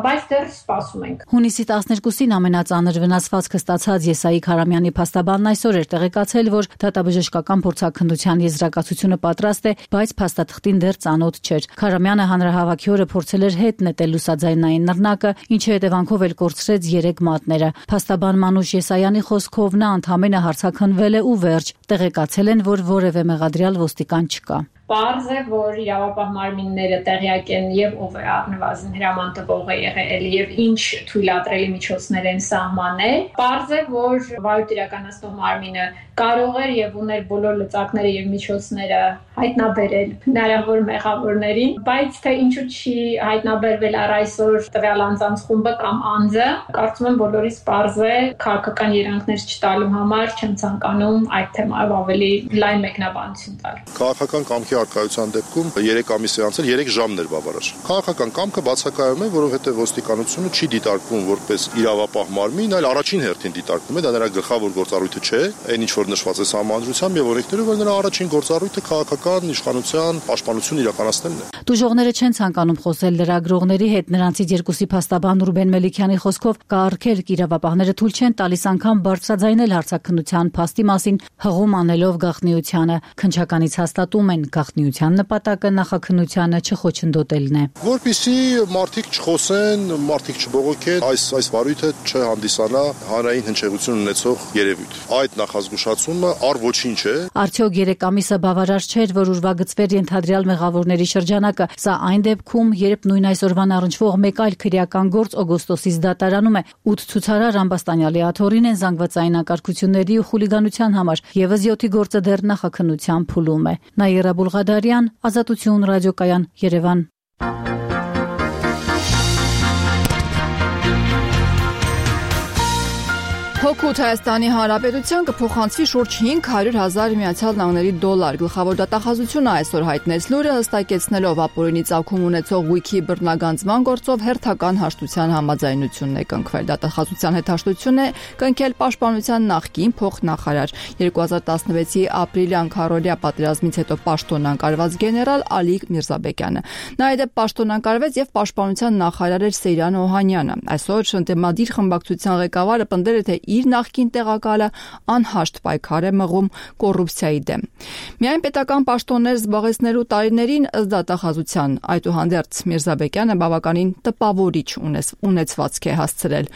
բայց դեռ սպասում ենք։ Հունիսի 12-ին ամենածանր վնասվածքը ստացած Եսայի Քարամյանի փաստաբանն այսօր էր տեղեկացել, որ դատաբժշկական փորձաքննության եզրակացությունը պատրաստ է, բայց փաստաթղթին դեռ ծանոթ չէր։ Քարամյանը հանրահավաքի օրը փորձել էր հետ նետել լուսաձայնային նռնակը, ինչի հետևանքով էլ կորցրեց 3 մատները։ Փաստաբան Մանուշ Եսայանի խոսքով նա ընդհանրապես հարցաքննվել է ու վերջ։ Տեղեկացել են, որ որևէ մեղադրյալ ոստիկան չկա։ Պարզ է, որ իրավապահ մարմինները տեղյակ են եւ ով է առնվազն հրաման տվողը եղել եւ ինչ թույլատրելի միջոցներ են սահմանել։ Պարզ է, որ վարույթ իրականացնող մարմինը կարող էր եւ ուներ բոլոր լծակները եւ միջոցները հայտնաբերել հնարավոր մեղավորներին, բայց թե ինչու չի հայտնաբերվել առ այսօր տվյալ անձանց խումբը կամ անձը, կարծում եմ բոլորիս պարզ է, քաղաքական երանգներ չտալու համար չեմ ցանկանում այդ թեմայով ավելի լայն մեկնաբանություն տալ։ Քաղաքական կամքի արկայության դեպքում 3 ամիս է անցել 3 ժամն էր բավարար։ Քաղաքական կամքը բացակայում է, որովհետև ոստիկանությունը չի դիտարկվում որպես իրավապահ մարմին, այլ առաջին հերթին դիտարկվում է, դա նրա գլխավոր գործառույթը չէ, այն ինչ որ նշված է սահմանադրությամբ եւ օրենքներով, որ նրա առաջին գործառույթը քաղաքական իշխանության պաշտպանություն իրականացնելն է։ Դժողները չեն ցանկանում խոսել լրագրողների հետ, նրանցից երկուսի փաստաբան Ռուբեն Մելիքյանի խոսքով կարգելք իրավապահները թույլ չեն տալիս անգամ բարձրաձայնել հարցաքննության փաստի մասին, հղում անելով գաղտնիությանը։ Քննչականից հաստատում են գաղտնիության նպատակը նախաքննությանը չխոչընդոտելն է։ Որպեսզի մարդիկ չխոսեն, մարդիկ չբողոքեն, այս վարույթը չհանդիսանա հանրային հնչեղություն ունեցող երևույթ։ Այդ նախազգուշացումը առ ոչինչ է։ Արդյոք 3 ամիսը բավարար չէր, որ ուրվագծվեր ենթադրյալ մեղավորների շրջանակը։ Սա այն դեպքում, երբ նույն այսօրվան առնչվող մեկ այլ քրեական գործ օգոստոսից դատարանում է 8 ցուցարար Ամբաստանյալի աթոռին են զանգվածային անկարգությունների ու խուլիգանության համար, եւս 7-ի գործը դեռ նախաքննության փուլում է։ Նաիրա Բուլղադարյան, Ազատություն ռադիոկայան, Երևան։ Հոգուտ Հայաստանի Հանրապետության կփոխանցվի շուրջ 500,000 Միացյալ Նահանգների դոլար։ Գլխավոր դատախազությունը այսօր հայտնեց լուրը, հստակեցնելով ապօրինի ծագում ունեցող Wiki բռնագանձման գործով հերթական հաշտության համաձայնությունն է կնքվել։ Դատախազության հետ հաշտություն է կնքել Պաշտպանության նախկին փոխնախարար 2016-ի ապրիլյան քարորիա պատերազմից հետո պաշտոնանկարված գեներալ Ալիկ Միրզաբեկյանը։ Նա այդ պաշտոնանկարվեց եւ Պաշտպանության նախարար էր Սեյրան Օհանյանը։ Այսօր ընդդիմադիր խմբակցության ղեկավարը պնդել է, թե իր նախկին տեղակալը անհաշտ պայքար է մղում կոռուպցիայի դեմ։ Միայն պետական պաշտոններ զբաղեցնելու տարիներին ըստ դատախազության, այդուհանդերձ Միրզաբեկյանը բավականին տպավորիչ ունեցվածք է հասցրել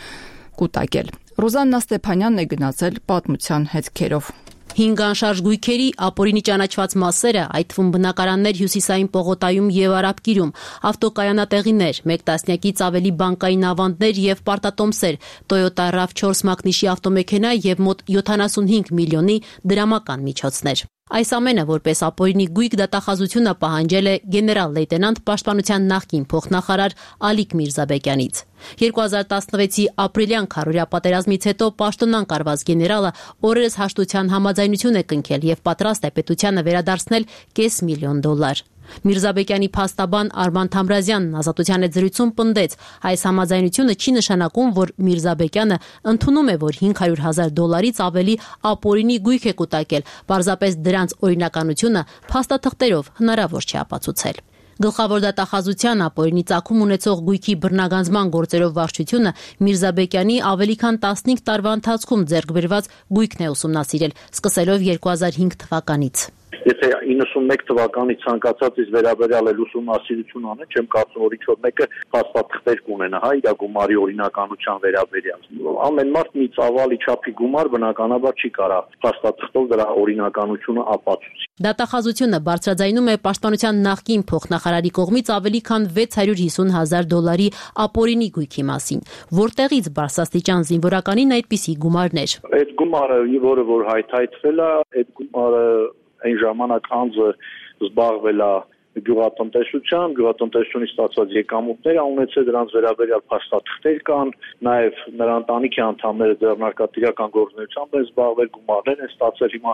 կուտակել։ Ռոզաննա Ստեփանյանն է գնացել պատմության հետքերով։ 5 անշարժ գույքերի ապօրինի ճանաչված մասերը, այդ թվում բնակարաններ Հյուսիսային պողոտայում եւ Արաբկիրում, ավտոկայանատեղիներ, 1 տասնյակից ավելի բանկային ավանդներ եւ պարտատոմսեր, Toyota RAV4 մակնիշի ավտոմեքենա եւ մոտ 75 միլիոնի դրամական միջոցներ։ Այս ամենը որպես ապօրինի գույք դատախազությունը պահանջել է գեներալ լեյտենանտ պաշտպանության նախկին փոխնախարար Ալիկ Միրզաբեկյանից։ 2016-ի ապրիլյան քարորյա պատերազմից հետո պաշտոնանկ արված գեներալը օրերս հաշտության համաձայնություն է կնքել եւ պատրաստ է պետությանը վերադարձնել $500,000։ Միրզաբեկյանի փաստաբան Արման Թամրազյանն Ազատության հետ զրույցում պնդեց, այս համաձայնությունը չի նշանակում, որ Միրզաբեկյանը ընդունում է, որ $500,000-ից ավելի ապօրինի գույք է կուտակել, պարզապես դրանց օրինականությունը փաստաթղթերով հնարավոր չի ապացուցել։ Գլխավոր դատախազության ապօրինի ծագում ունեցող գույքի բռնագանձման գործերով վարչությունը Միրզաբեկյանի ավելի քան 15 տարվա ընթացքում ձեռք բերված գույքն է ուսումնասիրել, սկսելով 2005 թվականից։ Եթե 91 թվականի ցանկացածից վերաբերյալ էլ ուսումնասիրություն անեն, չեմ կարծում, որ ինչ-որ մեկը փաստաթղթեր կունենա, իր գումարի օրինականության վերաբերյալ։ Ամեն մարդ մի ծավալի չափի գումար բնականաբար չի կարող փաստաթղթով դրա օրինականությունը ապացուցի։ Դատախազությունը բարձրաձայնում է պաշտպանության նախկին փոխնախարարի կողմից ավելի քան $650,000 ապօրինի գույքի մասին, որտեղից բարձրաստիճան զինվորականին այդպիսի գումարներ։ Այդ գումարը, որը որ հայթայթվել է, այդ գումարը այն ժամանակ անձը զբաղվել է գյուղատնտեսությունից ստացված եկամուտներ ունեցել, դրանց վերաբերյալ փաստաթղթեր կան, նաև նրա ընտանիքի անդամները ձեռնարկատիրական գործունեությամբ են զբաղվել, գումարներ են ստացել։ Հիմա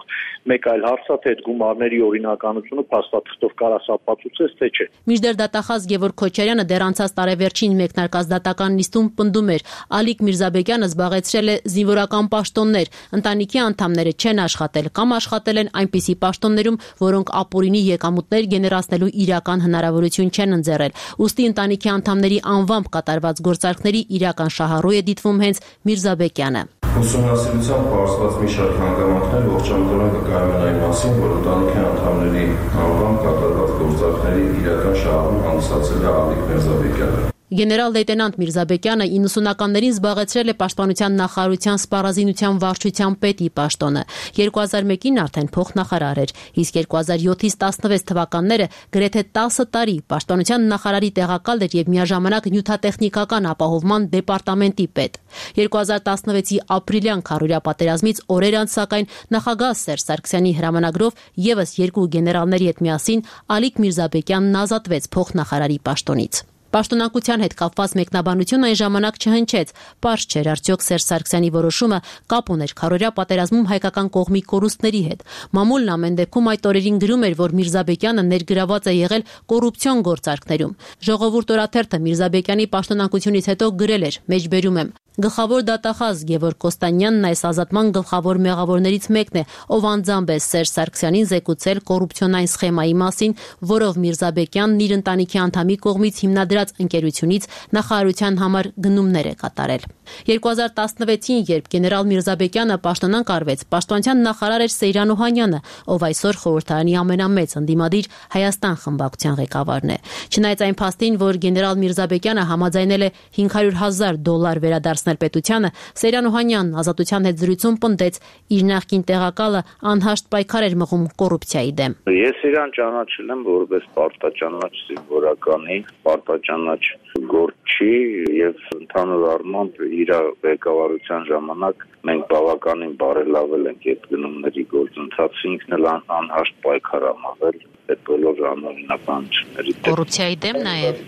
մեկ այլ հարց է, թե այդ գումարների օրինականությունը փաստաթղթով կարաս ապացուցես, թե չէ։ Մինչդեռ դատախազ Գևորգ Քոչարյանը դեռ անցած տարեվերջին մեկնարկած դատական նիստում պնդում էր, Ալիկ Միրզաբեկյանը զբաղեցրել է զինվորական պաշտոններ, ընտանիքի անդամները չեն աշխատել կամ աշխատել են այնպիսի պաշտոններում, որոնք ապօրինի եկամուտներ գեներացնելու իրական հնարավորություն չեն ընձեռել։ Ուստի ընտանիքի անդամների անվամբ կատարված գործարքների իրական շահառու է դիտվում հենց Միրզաբեկյանը։ Ուսումնասիրությամբ պարզված մի շարք հանգամանքներ ողջամտորեն կկայացնեն այն մասին, որ ընտանիքի անդամների անվամբ կատարված գործարքների իրական շահառու հանդիսացել է Ալիկ Միրզաբեկյանը։ Գեներալ լեյտենանտ Միրզաբեկյանը 90-ականներին զբաղեցրել է պաշտպանության նախարարության սպառազինության վարչության պետի պաշտոնը։ 2001-ին արդեն փոխնախարար էր, իսկ 2007-ից 16 թվականները գրեթե 10 տարի պաշտպանության նախարարի տեղակալ էր եւ միաժամանակ նյութատեխնիկական ապահովման դեպարտամենտի պետ։ 2016-ի ապրիլյան քարորյա պատերազմից օրեր անց սակայն նախագահ Սերժ Սարգսյանի հրամանագրով եւս 2 գեներալների հետ միասին Ալիկ Միրզաբեկյանն ազատվեց փոխնախարարի պաշտոնից։ Պաշտոնակության հետ կապված մեկնաբանություն այն ժամանակ չհնչեց, պարզ չէր արդյոք Սերժ Սարգսյանի որոշումը կապ ուներ քարորյա պատերազմում հայկական կողմի կորուստների հետ։ Մամուլն ամեն դեպքում այդ օրերին գրում էր, որ Միրզաբեկյանը ներգրաված է եղել կոռուպցիոն գործարքներում։ Ժողովուրդ օրաթերթը Միրզաբեկյանի պաշտոնակությունից հետո գրել էր, մեջբերում եմ. Գլխավոր դատախազ Գևորգ Կոստանյանն այս ազատման գլխավոր մեղավորներից մեկն է, ով անձամբ է Սերժ Սարգսյանին զեկուցել կոռուպցիոնային սխեմայի մասին, որով Միրզաբեկյանն իր ընտանիքի անդամի կողմից հիմնադրած ընկերությունից նախարարության համար գնումներ է կատարել։ 2016-ին, երբ գեներալ Միրզաբեկյանը պաշտոնանկ արվեց, պաշտպանության նախարար էր Սեյրան Օհանյանը, ով այսօր խորհրդարանի ամենամեծ ընդդիմադիր Հայաստան խմբակցության ղեկավարն է։ Չնայած այն փաստին, որ գեներալ Միրզաբեկյանը համաձայնել է $500,000 վերադարձնել պետությանը, Սեյրան Օհանյանն Ազատության հետ զրույցում պնդեց, իր նախկին տեղակալը անհաշտ պայքար էր մղում կոռուպցիայի դեմ։ Ես իրան ճանաչել եմ որպես պարտաճանաչ զինվորականի, պարտաճանաչ գործչի եւ ընդհանուր առմամբ իր ղեկավարության ժամանակ մենք բավականին բարելավել ենք այդ գնումների գործընթացը, ինքն էլ անհաշտ պայքար է մղել այդ բոլոր անօրինականությունների դեմ։ Կոռուպցիայի դեմ նաեւ։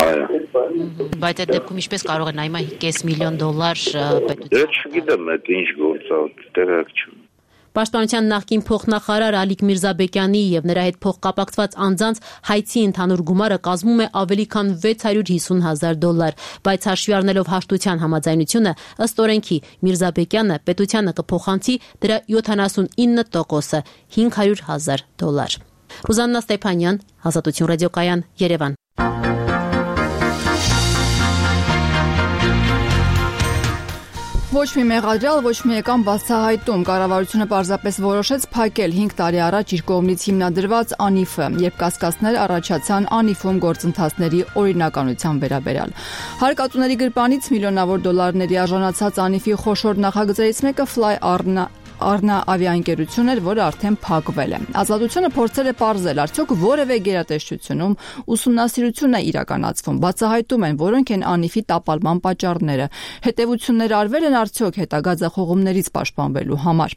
Այո։ Բայց այդ դեպքում ինչպես կարող է նայմա $500,000 պետության։ Չգիտեմ, այդ ինչ գործ է, տեղակ չունեմ։ Պաշտպանության նախկին փոխնախարար Ալիկ Միրզաբեկյանի եւ նրա հետ փոխկապակցված անձանց հայցի ընդհանուր գումարը կազմում է ավելի քան $650,000, բայց հաշվի առնելով հաշտության համաձայնությունը, ըստ օրենքի Միրզաբեկյանը պետությանը կփոխանցի դրա 79%-ը $500,000։ Ռուզաննա Ստեփանյան, Ազատություն ռադիոկայան, Երևան։ Ոչ մի մեղադրյալ, ոչ մի եկամ բացահայտում։ Կառավարությունը պարզապես որոշեց փակել 5 տարի առաջ իր կողմից հիմնադրված ANIF-ը, երբ կասկածներ առաջացան ANIF-ում գործընթացների օրինականության վերաբերյալ։ Հարկատուների գրպանից միլիոնավոր դոլարների արժանացած ANIF-ի խոշոր նախագծերից մեկը Առնա ավիաընկերություն էր, որը արդեն փակվել է։ Ազատությունը փորձել է պարզել, արդյոք որևէ գերատեսչությունում ուսումնասիրություն է իրականացվում, բացահայտում են որոնք են անիվի տապալման պատճառները, հետևություններ արվել են արդյոք հետագա ձախողումներից պաշտպանվելու համար։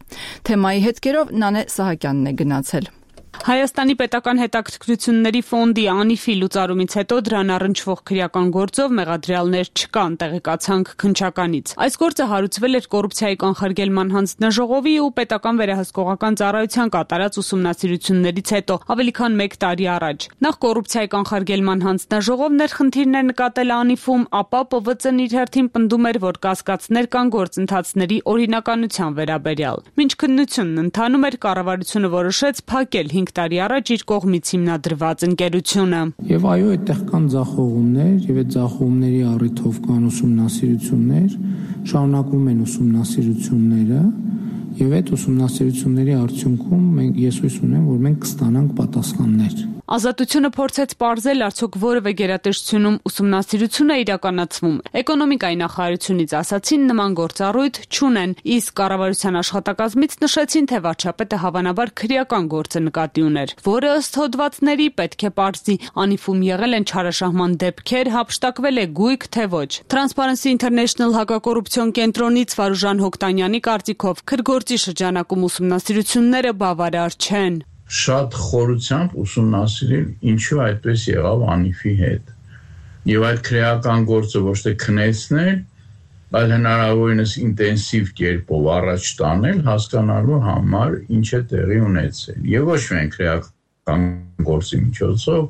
Թեմայի հետքերով Նանե Սահակյանն է գնացել։ Հայաստանի պետական հետաքրքրությունների ֆոնդի անիվի լուծարումից հետո դրան առնչվող քրեական գործով մեղադրյալներ չկան, տեղեկացանք քննչականից։ Այս գործը հարուցվել էր կոռուպցիայի կանխարգելման հանձնաժողովի ու պետական վերահսկողական ծառայության կատարած ուսումնասիրություններից հետո ավելի քան 1 տարի առաջ։ Նախ կոռուպցիայի կանխարգելման հանձնաժողովն էր խնդիրներ նկատել անիվում, ապա ՊՎԾ-ն իր հերթին պնդում էր, որ կասկածներ կան գործընթացների օրինականության վերաբերյալ։ Մինչ քննությունն ընթանում էր, կառավարությունը որոշեց փակել 5 տարի առաջ իր կողմից հիմնադրված ընկերությունը։ Եվ այո, այդտեղ կան ձախողումներ, եւ այդ ձախողումների առիթով կան ուսումնասիրություններ, շարունակվում են ուսումնասիրությունները, եւ այդ ուսումնասիրությունների արդյունքում ես հույս ունեմ, որ մենք կստանանք պատասխաններ։ Ազատությունը փորձեց պարզել, արդյոք որևէ գերատեսչությունում ուսումնասիրություն է իրականացվում։ Էկոնոմիկայի նախարարությունից ասացին, նման գործառույթ չունեն, իսկ կառավարության աշխատակազմից նշեցին, թե վարչապետը հավանաբար քրեական գործը նկատի ուներ, որը ըստ հոդվածների պետք է պարզի, անիվում եղել են չարաշահման դեպքեր, հափշտակվել է գույք, թե ոչ։ Transparency International հակակոռուպցիոն կենտրոնից Վարուժան Հոկտանյանի կարծիքով քրգործի շրջանակում ուսումնասիրությունները բավարար չեն։ Շատ խորությամբ ուսումնասիրել ինչու այդպես եղավ անիվի հետ։ Եվ այդ քրեական գործը ոչ թե քնեցնել, այլ հնարավորինս ինտենսիվ կերպով առաջ տանել, հասկանալու համար ինչ է տեղի ունեցել։ Եվ ոչ միայն քրեական գործի միջոցով,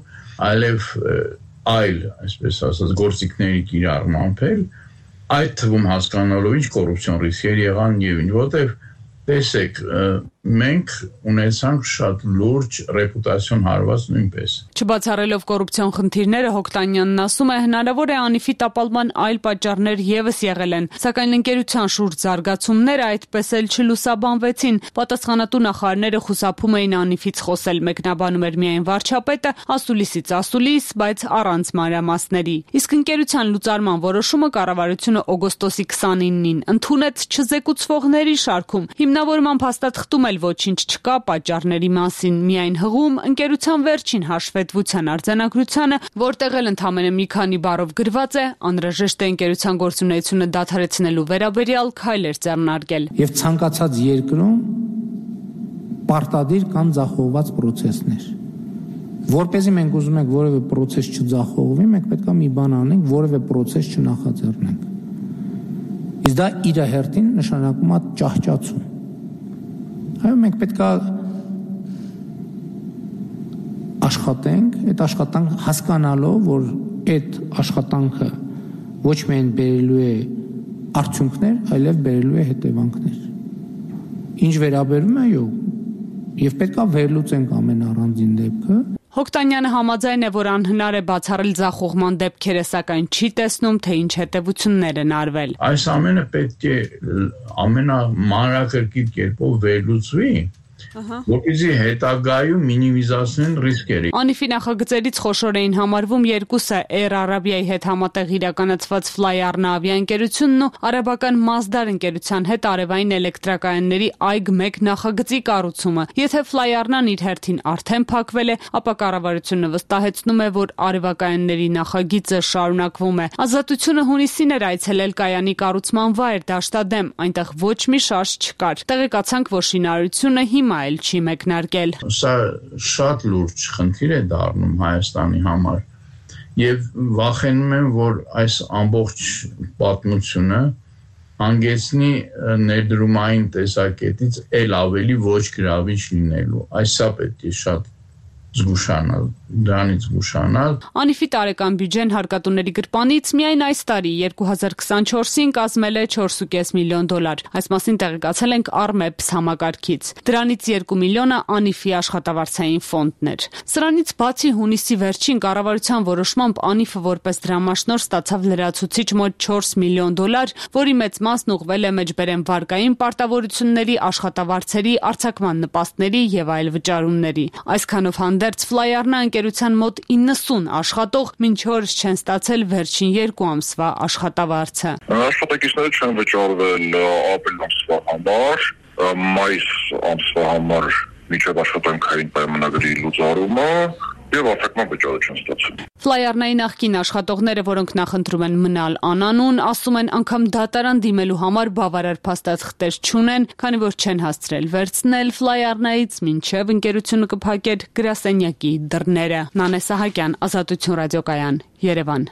այլև այլ, այսպես ասած, գործիքների կիրառմամբ էլ, այդ թվում հասկանալով ինչ կոռուպցիոն ռիսկեր եղան եւ ինչ, որտեղ տեսեք, մենք ունեցանք շատ լուրջ ռեպուտացիոն հարված նույնպես։ Չբացառելով կոռուպցիոն խնդիրները, Հոկտանյանն ասում է, հնարավոր է անիվի տապալման այլ պատճառներ եւս եղել են, սակայն ընկերության շուրջ զարգացումները այդպես էլ չլուսաբանվեցին։ Պատասխանատու նախարարները խուսափում էին անիվից խոսել, մեկնաբանում էր միայն վարչապետը, ասուլիսից ասուլիս, բայց առանց մանրամասների։ Իսկ ընկերության լուծարման որոշումը կառավարությունը օգոստոսի 29-ին ընդունեց չզեկուցվողների շարքում։ Հիմնավորման փաստաթղթում էլ ոչինչ չկա պատճառների մասին, միայն հղում ընկերության վերջին հաշվետվության արձանագրությանը, որտեղ էլ ընդամենը մի քանի բառով գրված է, անհրաժեշտ է ընկերության գործունեությունը դադարեցնելու վերաբերյալ քայլեր ձեռնարկել։ Եվ ցանկացած երկրում պարտադիր կան ձախողված պրոցեսներ։ Որպեսզի մենք ուզում ենք որևէ պրոցես չձախողվի, մենք պետք է մի բան անենք, որևէ պրոցես չնախաձեռնենք։ Իսկ դա իր հերթին նշանակում է ճահճացում։ Այո, մենք պետք է աշխատենք, այդ աշխատանքը հասկանալով, որ այդ աշխատանքը ոչ միայն բերելու է արդյունքներ, այլև բերելու է հետևանքներ։ Ինչ վերաբերում է, այո, եւ պետք է վերլուծենք ամեն առանձին դեպքը։ Հոկտանյանը համաձայն է, որ անհնար է բացառել ձախողման դեպքերը, սակայն չի տեսնում, թե ինչ հետևություններ են արվել։ Այս ամենը պետք է ամենամանրակրկիտ կերպով վերլուծվի, որպեսզի հետագայում մինիմիզացնեն ռիսկերը։ Անիվի նախագծերից խոշոր էին համարվում երկուսը՝ Air Arabia-ի հետ համատեղ իրականացված Flyarna ավիաընկերությունն ու արաբական Masdar ընկերության հետ արևային էլեկտրակայանների AIG-1 նախագծի կառուցումը։ Եթե Flyarna-ն իր հերթին արդեն փակվել է, ապա կառավարությունը վստահեցնում է, որ արևակայանների նախագիծը շարունակվում է։ Ազատությունը հունիսին էր այցելել կայանի կառուցման վայր Դաշտադեմ, այնտեղ ոչ մի շարժ չկար։ Տեղեկացանք, որ շինարարությունը հիմա էլ չի մեկնարկել։ Սա շատ լուրջ խնդիր է դառնում Հայաստանի համար եւ վախենում եմ, որ այս ամբողջ պատմությունը հանգեցնի ներդրումային տեսակետից ել ավելի ոչ գրավիչ լինելու։ Այսա պետք է շատ զգուշանալ, դրանից զգուշանալ։ Անիվի տարեկան բյուջեն հարկատուների գրպանից միայն այս տարի 2024-ին կազմել է $4.5 միլիոն։ Այս մասին տեղեկացել ենք Armeps համակարգից։ Դրանից 2 միլիոնը Անիվի աշխատավարձային ֆոնդն էր։ Սրանից բացի հունիսի վերջին կառավարության որոշմամբ Անիվը որպես դրամաշնորհ ստացավ լրացուցիչ մոտ $4 միլիոն, որի մեծ մասն ուղղվել է մեջբերեմ վարկային պարտավորությունների, աշխատավարձերի, արձակման նպաստների եւ այլ վճարումների։ Այսքանով հանդերձ Flyarna ընկերության մոտ 90 աշխատող մինչ օրս չեն ստացել վերջին 2 ամսվա աշխատավարձը։ Աշխատակիցները չեն վճարվել ապրիլ ամսվա համար, մայիս ամսվա համար միջև աշխատանքային պայմանագրի լուծարումը եւ արտաքնական վճարը չեն ստացել։ Ֆլայարնայի նախկին աշխատողները, որոնք նախընտրում են մնալ անանուն, ասում են անգամ դատարան դիմելու համար բավարար փաստաթղթեր չունեն, քանի որ չեն հասցրել վերցնել ֆլայարնայից մինչև ընկերությունը կփակեր գրասենյակի դռները։ Նանե Սահակյան, Ազատություն ռադիոկայան, Երևան։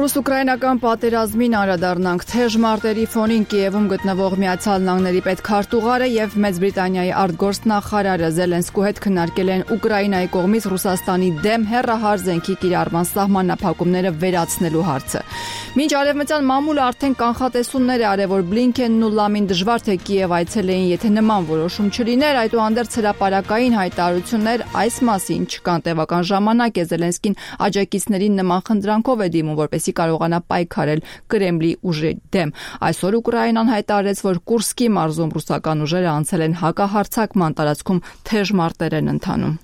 Ռուս-ուկրաինական պատերազմին անդրադառնանք թեժ մարտերի ֆոնին Կիևում գտնվող Միացյալ Նահանգների պետքարտուղարը եւ Մեծ Բրիտանիայի արտգործնախարարը Զելենսկու հետ քննարկել են Ուկրաինայի կողմից Ռուսաստանի դեմ հեռահար զենքի կիրառման սահմանափակումները վերացնելու հարցը։ Մինչ արևմտյան մամուլը արդեն կանխատեսումներ է արել, որ Բլինքենն ու Լամին դժվար թե Կիև այցելեին, եթե նման որոշում չլիներ, այդուհանդերձ հրապարակային հայտարարություններ այս մասին չկան։ Տևական ժամանակ է Զելենսկին աջակիցներին նման խնդրանքով է դիմում, որպեսզի կարողանա պայքարել Կրեմլի ուժի դեմ։ Այսօր Ուկրաինան հայտարարեց, որ Կուրսկի մարզում ռուսական ուժերը անցել են հակահարձակման տարածքում թեժ մարտեր են ընթանում։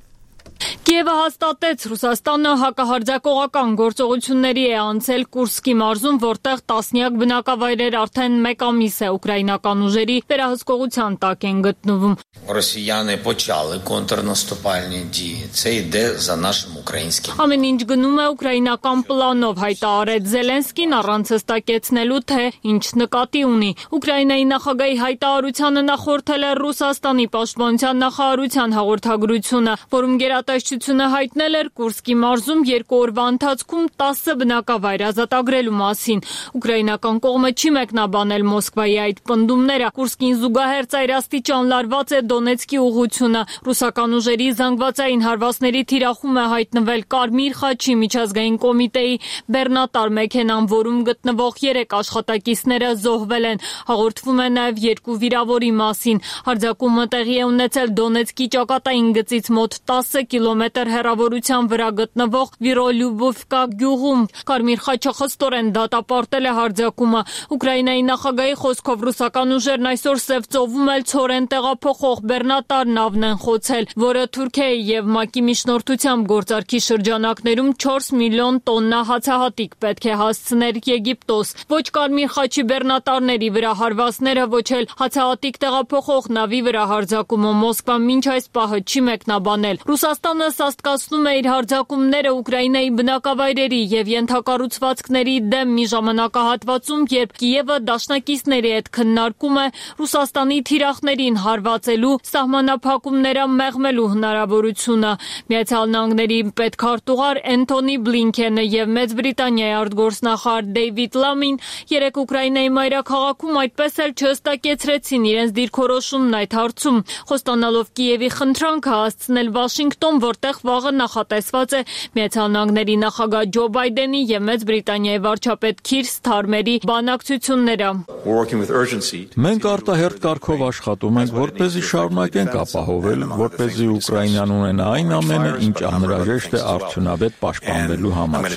Կիևը հաստատեց, Ռուսաստանը հակահարձակողական գործողությունների է անցել Կուրսկի մարզում, որտեղ տասնյակ բնակավայրեր արդեն մեկ ամիս է ուկրաինական ուժերի վերահսկողության տակ են գտնվում։ Ռոսիյանը почали контрнаступальні дії. Це йде за нашим українським. Ամեն ինչ գնում է ուկրաինական պլանով, հայտարարեց Զելենսկին առանց հստակեցնելու, թե ինչ նկատի ունի։ Ուկրաինայի նախագահի հայտարարությանը նախորդել է Ռուսաստանի պաշտպանության նախարարության հաղորդագրությունը, որում գերատեսչությունը հայտնել էր Կուրսկի մարզում 2 օրվա ընթացքում 10 բնակավայր ազատագրելու մասին։ Ուկրաինական կողմը չի մեկնաբանել Մոսկվայի այդ պնդումները։ Կուրսկին զուգահեռ ծայրաստիճան լարված է Դոնեցկի ուղղությունը։ Ռուսական ուժերի զանգվածային հարվածների թիրախում է հայտնվել Կարմիր խաչի միջազգային կոմիտեի բեռնատար մեքենան, որում գտնվող 3 աշխատակիցները զոհվել են։ Հաղորդվում է նաև 2 վիրավորի մասին։ Հարձակումը տեղի է ունեցել Դոնեցկի ճակատային գծից մոտ 10 կիլոմետր հեռավորության վրա գտնվող Վիրոլյուբովկա գյուղում։ Կարմիր խաչը խստորեն դատապարտել է հարձակումը։ Ուկրաինայի նախագահի խոսքով ռուսական ուժերն այսօր Սև ծովում էլ ցորեն տեղափոխող բեռնատար նավն են խոցել, որը Թուրքիայի եւ ՄԱԿ-ի միջնորդությամբ գործարքի շրջանակներում 4 միլիոն տոննա հացահատիկ պետք է հասցներ Եգիպտոս։ Ոչ Կարմիր խաչի բեռնատարների վրա հարվածները, ոչ էլ հացահատիկ տեղափոխող նավի վրա հարձակումը Մոսկվան մինչ այս պահը չի մեկնաբանել։ Ռուսաստանը սաստկացնում է իր հարձակումները Ուկրաինայի բնակավայրերի եւ ենթակառուցվածքների դեմ մի ժամանակահատվածում, երբ Կիևը դաշնակիցների հետ քննարկում է Ռուսաստանի թիրախներին հարվածելու սահմանափակումները մեղմելու հնարավորությունը։ Միացյալ Նահանգների պետքարտուղար Էնթոնի Բլինքենը եւ Մեծ Բրիտանիայի արտգործնախարար Դեյվիդ Լամին երեկ Ուկրաինայի մայրաքաղաքում այդպես էլ չհստակեցրեցին իրենց դիրքորոշումն այդ հարցում, խոստանալով Կիևի խնդրանքը հասցնել Վաշինգտոն, որտեղ վաղը նախատեսված է Միացյալ Նահանգների նախագահ Ջո Բայդենի եւ Մեծ Բրիտանիայի վարչապետ Քիր Սթարմերի բանակցությունները։ Մենք արտահերթ կարգով աշխատում ենք, որպեսզի շարունակենք ապահովել, որպեսզի Ուկրաինան ունենա այն ամենը, ինչ անհրաժեշտ է արդյունավետ պաշտպանվելու համար։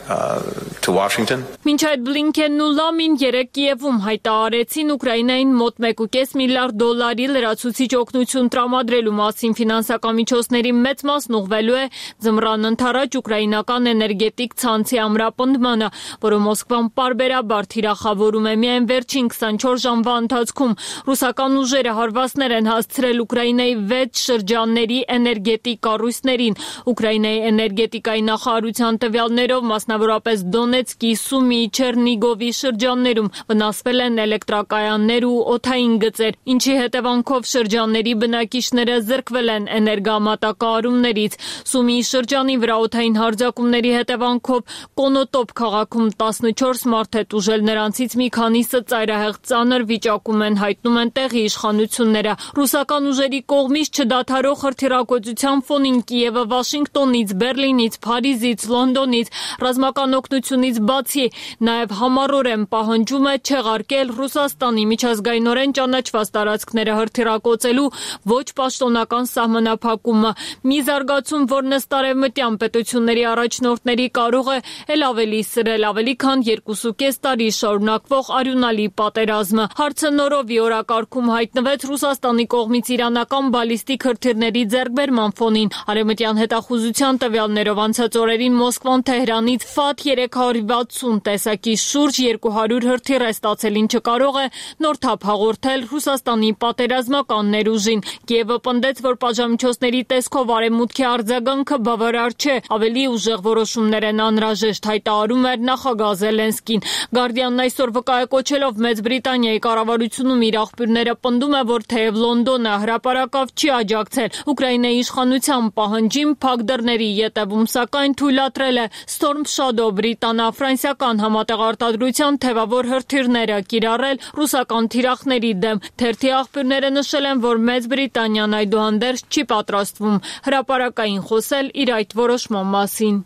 Մինչ այդ Բլինքենն ու Լամին երեկ Կիևում հայտարարեցին Ուկրաինային մոտ 1.5 միլիարդ դոլարի լրացուցիչ օգնություն տրամադրելու մասին ֆինանսական միջոցների մեծ մասն ուղղվելու է ձմռան ընթരാճ ուկրաինական էներգետիկ ցանցի ամրապնդմանը, որը Մոսկվան պարբերաբար թիրախավորում է։ Միայն վերջին 24 ժամվա ընթացքում ռուսական ուժերը հարվածներ են հասցրել Ուկրաինայի 6 շրջանների էներգետիկ կառույցներին։ Ուկրաինայի էներգետիկայի նախարարության տվյալներով մասնավորապես Դոնեցկի, Սումի, Չեռնիգովի շրջաններում վնասվել են էլեկտրակայաններ ու օդային գծեր, ինչի հետևանքով շրջանների բնակիչները զրկվել են էներգամատակարարումներից։ Սումիի շրջանի վրա օդային հարձակումների հետևանքով Կոնոտոպ քաղաքում 14 մարդ է տուժել, նրանցից մի քանիսը ծայրահեղ ծանր վիճակում են, հայտնում են տեղի իշխանությունները։ Ռուսական ուժերի կողմից չդադարող հրթիռակոծության ֆոնին Կիևը Վաշինգտոնից, Բերլինից, Փարիզից, Լոնդոնից ռազմական օգնությունից բացի նաև համառորեն պահանջում է չեղարկել Ռուսաստանի միջազգայինորեն ճանաչված տարածքները հրթիռակոծելու ոչ պաշտոնական սահմանափակումը։ Մի զարգացում, որն ըստ արևմտյան պետությունների առաջնորդների կարող է էլ ավելի սրել ավելի քան 2.5 տարի շարունակվող արյունալի պատերազմը։ Հարցը նորովի օրակարգում հայտնվեց Ռուսաստանի կողմից իրանական բալիստիկ հրթիռների ձեռքբերման ֆոնին։ Արևմտյան հետախուզության տվյալներով անցած օրերին Մոսկվան Թեհրանից կապված 360 տեսակի շուրջ 200 հրթիռ է ստացել, ինչը կարող է նոր թափ հաղորդել Ռուսաստանի պատերազմական ուժին։ Կիևը պնդեց, որ պատժամիջոցների տեսքով արևմուտքի արձագանքը բավարար չէ, ավելի ուժեղ որոշումներ են անհրաժեշտ, հայտարարում էր նախագահ Զելենսկին։ Գարդիանն այսօր վկայակոչելով Մեծ Բրիտանիայի կառավարությունում իր աղբյուրները պնդում է, որ թեև Լոնդոնը հրապարակավ չի աջակցել Ուկրաինայի իշխանության պահանջին, փակ դռների ետևում սակայն թույլատրել է Storm Shadow բրիտանա-ֆրանսիական համատեղ արտադրության թևավոր հրթիռները կիրառել ռուսական թիրախների դեմ։ Թերթի աղբյուրները նշել են, որ Մեծ Բրիտանիան այդուհանդերձ չի պատրաստվում հրապարակային խոսել իր այդ որոշման մասին։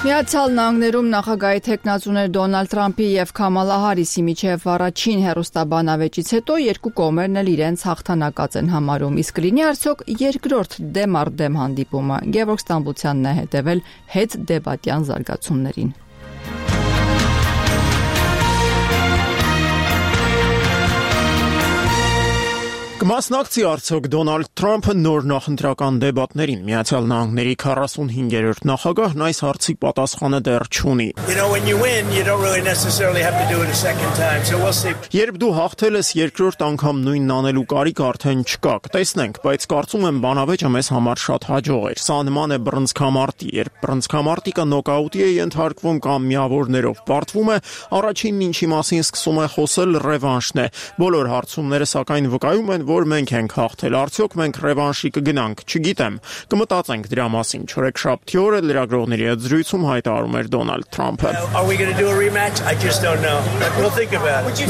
Միացյալ Նահանգներում նախագահի թեկնածուներ Դոնալդ Թրամփի եւ Քամալա Հարիսի միջև առաջին հեռուստաբանավեճից հետո երկու կողմերն էլ իրենց հաղթանակած են համարում, իսկ լինի արդյոք երկրորդ դեմ առ դեմ հանդիպումը։ Գևորգ Ստամբուլցյանն է հետևել հետ դեբատյան զարգացումներին։ Կմասնակցի արդյոք Դոնալդ Թրամփը նոր նախընտրական դեբատներին։ Միացյալ Նահանգների 45-րդ նախագահն այս հարցի պատասխանը դեռ չունի։ Երբ դու հաղթել ես երկրորդ անգամ նույնն անելու կարիք արդեն չկա, կտեսնենք, բայց կարծում եմ բանավեճը մեզ համար շատ հաջող էր։ Սա նման է բռնցքամարտի, երբ բռնցքամարտիկը նոկաուտի է ենթարկվում կամ միավորներով պարտվում է, առաջինն ինչի մասին սկսում է խոսել ռևանշն է։ Բոլոր հարցումները սակայն վկայում են, որ մենք ենք հաղթել, արդյոք մենք ռևանշի կգնանք, չգիտեմ, կմտածենք դրա մասին։ Չորեքշաբթի օրը լրագրողների հետ զրույցում հայտարարում էր Դոնալդ Թրամփը։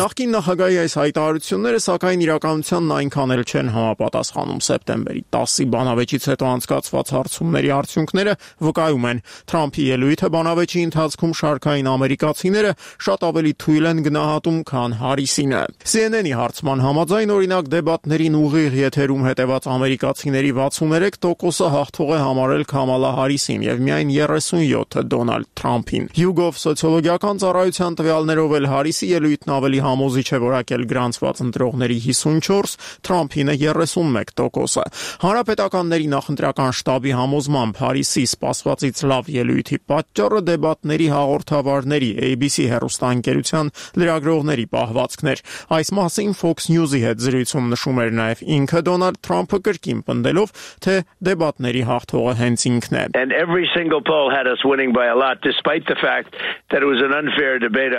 Նախկին նախագահի այս հայտարարությունները սակայն իրականությանն այնքան էլ չեն համապատասխանում։ Սեպտեմբերի 10-ի բանավեճից հետո անցկացված հարցումների արդյունքները վկայում են, Թրամփի ելույթը բանավեճի ընթացքում շարքային ամերիկացիները շատ ավելի թույլ են գնահատում, քան Հարիսինը։ CNN-ի հարցման համաձայն, օրինակ, դեբատներին ուղիղ եթերում հետևած ամերիկացիների 63%-ը հաղթող է համարել Քամալա Հարիսին եւ միայն 37-ը Դոնալդ Թրամփին։ YouGov սոցիոլոգիական ծառայության տվյալներով էլ Հարիսի ելույթն ավելի համոզիչ է որակել գրանցված ընտրողների 54, Թրամփինը 31%-ը։ Հանրապետականների նախընտրական շտաբի համոզմամբ Հարիսի սպասվածից լավ ելույթի պատճառը դեբատների հաղորդավարների ABC հեռուստաընկերության լրագրողների պահվածքն էր։ Այս մասին Fox News-ի հետ զրույցում նշում էր նաև ինքը Դոնալդ Թրամփը կրկին պնդելով, թե դեբատների հաղթողը հենց ինքն է։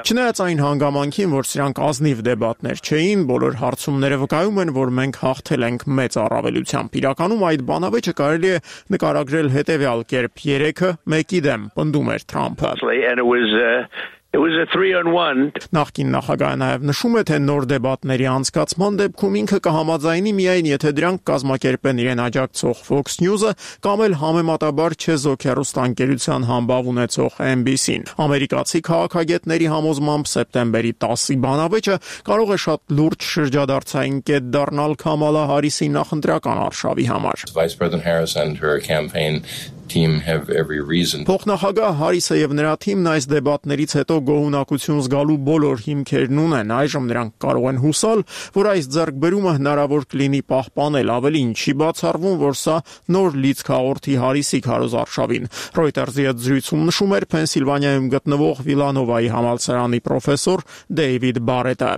Չնայած այն հանգամանքին, որ սրանք ազնիվ դեբատներ չէին, բոլոր հարցումները վկայում են, որ մենք հաղթել ենք մեծ առավելությամբ։ Իրականում այդ բանավեճը կարելի է նկարագրել հետևյալ կերպ. 3-ը 1-ի դեմ, պնդում էր Թրամփը։ Նախկին նախագահը նաև նշում է, թե նոր դեբատների անցկացման դեպքում ինքը կհամաձայնի միայն, եթե դրանք կազմակերպեն իրեն աջակցող Fox News-ը կամ էլ համեմատաբար չեզոք հեռուստաընկերության համբավ ունեցող NBC-ն։ Ամերիկացի քաղաքագետների համոզմամբ սեպտեմբերի 10-ի բանավեճը կարող է շատ լուրջ շրջադարձային կետ դառնալ Քամալա Հարիսի նախընտրական արշավի համար։ Փոխնախագահ Հարիսը եւ նրա թիմն այս դեբատներից հետո գոհունակություն զգալու բոլոր հիմքերն ունեն։ Այժմ նրանք կարող են հուսալ, որ այս ձեռքբերումը հնարավոր կլինի պահպանել, ավելին չի բացառվում, որ սա նոր լիցք հաղորդի Հարիսի քարոզարշավին։ Reuters-ի հետ զրույցում նշում էր Փենսիլվանիայում գտնվող Վիլանովայի համալսարանի պրոֆեսոր Դեյվիդ Բարետը։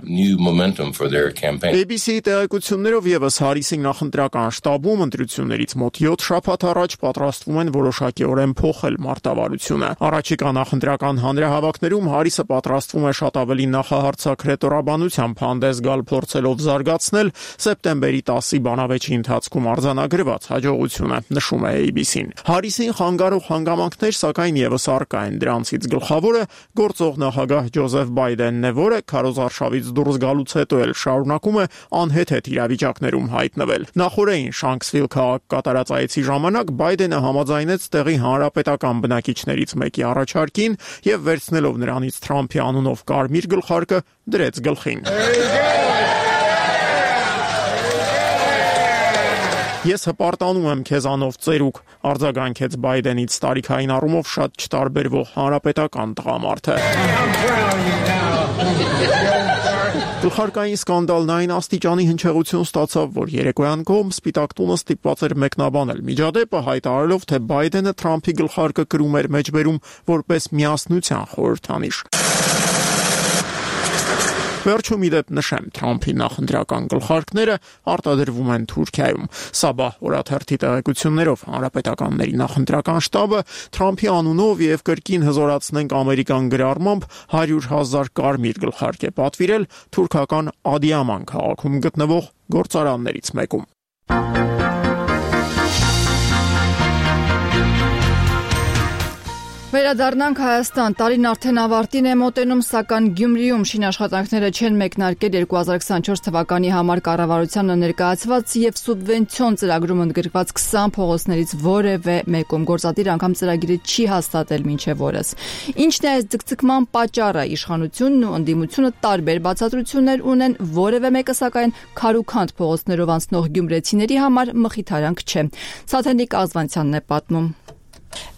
ABC-ի տեղեկություններով եւս Հարիսի նախընտրական շտաբում ընտրություններից մոտ 7 շաբաթ առաջ պատրաստվում են որոշակիորեն փոխել մարտավարությունը։ Առաջիկա նախընտրական հանրահավաքներում Հարիսը պատրաստվում է շատ ավելի նախահարցակ ռետորաբանությամբ հանդես գալ, փորձելով զարգացնել սեպտեմբերի 10-ի բանավեճի ընթացքում արձանագրված հաջողությունը, նշում է ABC-ն։ Հարիսին խանգարող հանգամանքներ սակայն եւս առկա են։ Դրանցից գլխավորը գործող նախագահ Ջոզեֆ Բայդենն է, որը քարոզարշավից դուրս գալուց հետո էլ շարունակում է անհեթեթ իրավիճակներում հայտնվել։ Նախորդին Շանքսվիլ քաղաք կատարած այցի ժամանակ Բայդենը համաձայնեց տեղի հանրապետական բնակիչներից մեկի առաջարկին եւ վերցնելով նրանից Թրամփի անունով կարմիր գլխարկը դրեց գլխին։ Ես հպարտանում եմ քեզանով ծերուկ, արձագանքեց Բայդենից տարիքային առումով շատ չտարբերվող հանրապետական տղամարդը։ Գլխարկային սկանդալն այն աստիճանի հնչեղություն ստացավ, որ երեկոյան կողմ Սպիտակ տունը ստիպված էր մեկնաբանել միջադեպը, հայտարարելով, թե Բայդենը Թրամփի գլխարկը կրում էր մեջբերում որպես միասնության խորհրդանիշ։ Վերջում իդեպ նշեմ, Թրամփի նախընտրական գլխարկները արտադրվում են Թուրքիայում։ Սաբահ օրաթերթի տեղեկություններով հանրապետականների նախընտրական շտաբը Թրամփի անունով եւ կրկին հզորացնենք ամերիկան գրառմամբ 100,000 կարմիր գլխարկ է պատվիրել թուրքական Ադիաման քաղաքում գտնվող գործարաններից մեկում։ Վերադառնանք Հայաստան, տարին արդեն ավարտին է մոտենում, սակայն Գյումրիում շինաշխատանքները չեն մեկնարկել 2024 թվականի համար կառավարությանը ներկայացված եւ սուբվենցիոն ծրագրում ընդգրկված 20 փողոցներից որևէ մեկում գործադիր անգամ ծրագիրը չի հաստատել մինչեւ օրս։ Ինչն է այս ձգձգման պատճառը, իշխանությունն ու ընդդիմությունը տարբեր բացատրություններ ունեն, որևէ մեկը սակայն քարուքանդ փողոցներով անցնող գյումրեցիների համար մխիթարանք չէ։ Սաթենիկ Ազվանցյանն է պատմում։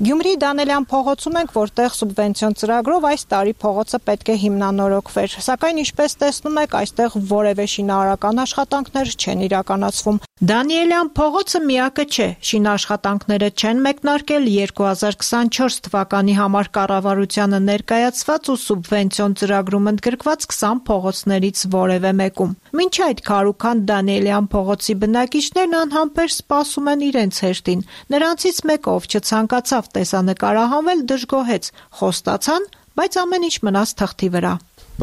Գյումրիի Դանելյան փողոցում ենք, որտեղ սուբվենցիոն ծրագրով այս տարի փողոցը պետք է հիմնանորոգվեր, սակայն ինչպես տեսնում եք, այստեղ որևէ շինարարական աշխատանքներ չեն իրականացվում։ Դանիելյան փողոցը միակը չէ, շինաշխատանքները չեն մեկնարկել 2024 թվականի համար կառավարությանը ներկայացված ու սուբվենցիոն ծրագրում ընդգրկված 20 փողոցներից որևէ մեկում։ Մինչ այդ քարուքանդ Դանիելյան փողոցի բնակիչներն անհամբեր սպասում են իրենց հերթին։ Նրանցից մեկը, ով չցանկացավ տեսանկարահանվել, դժգոհեց, խոստացան, բայց ամեն ինչ մնաց թղթի վրա։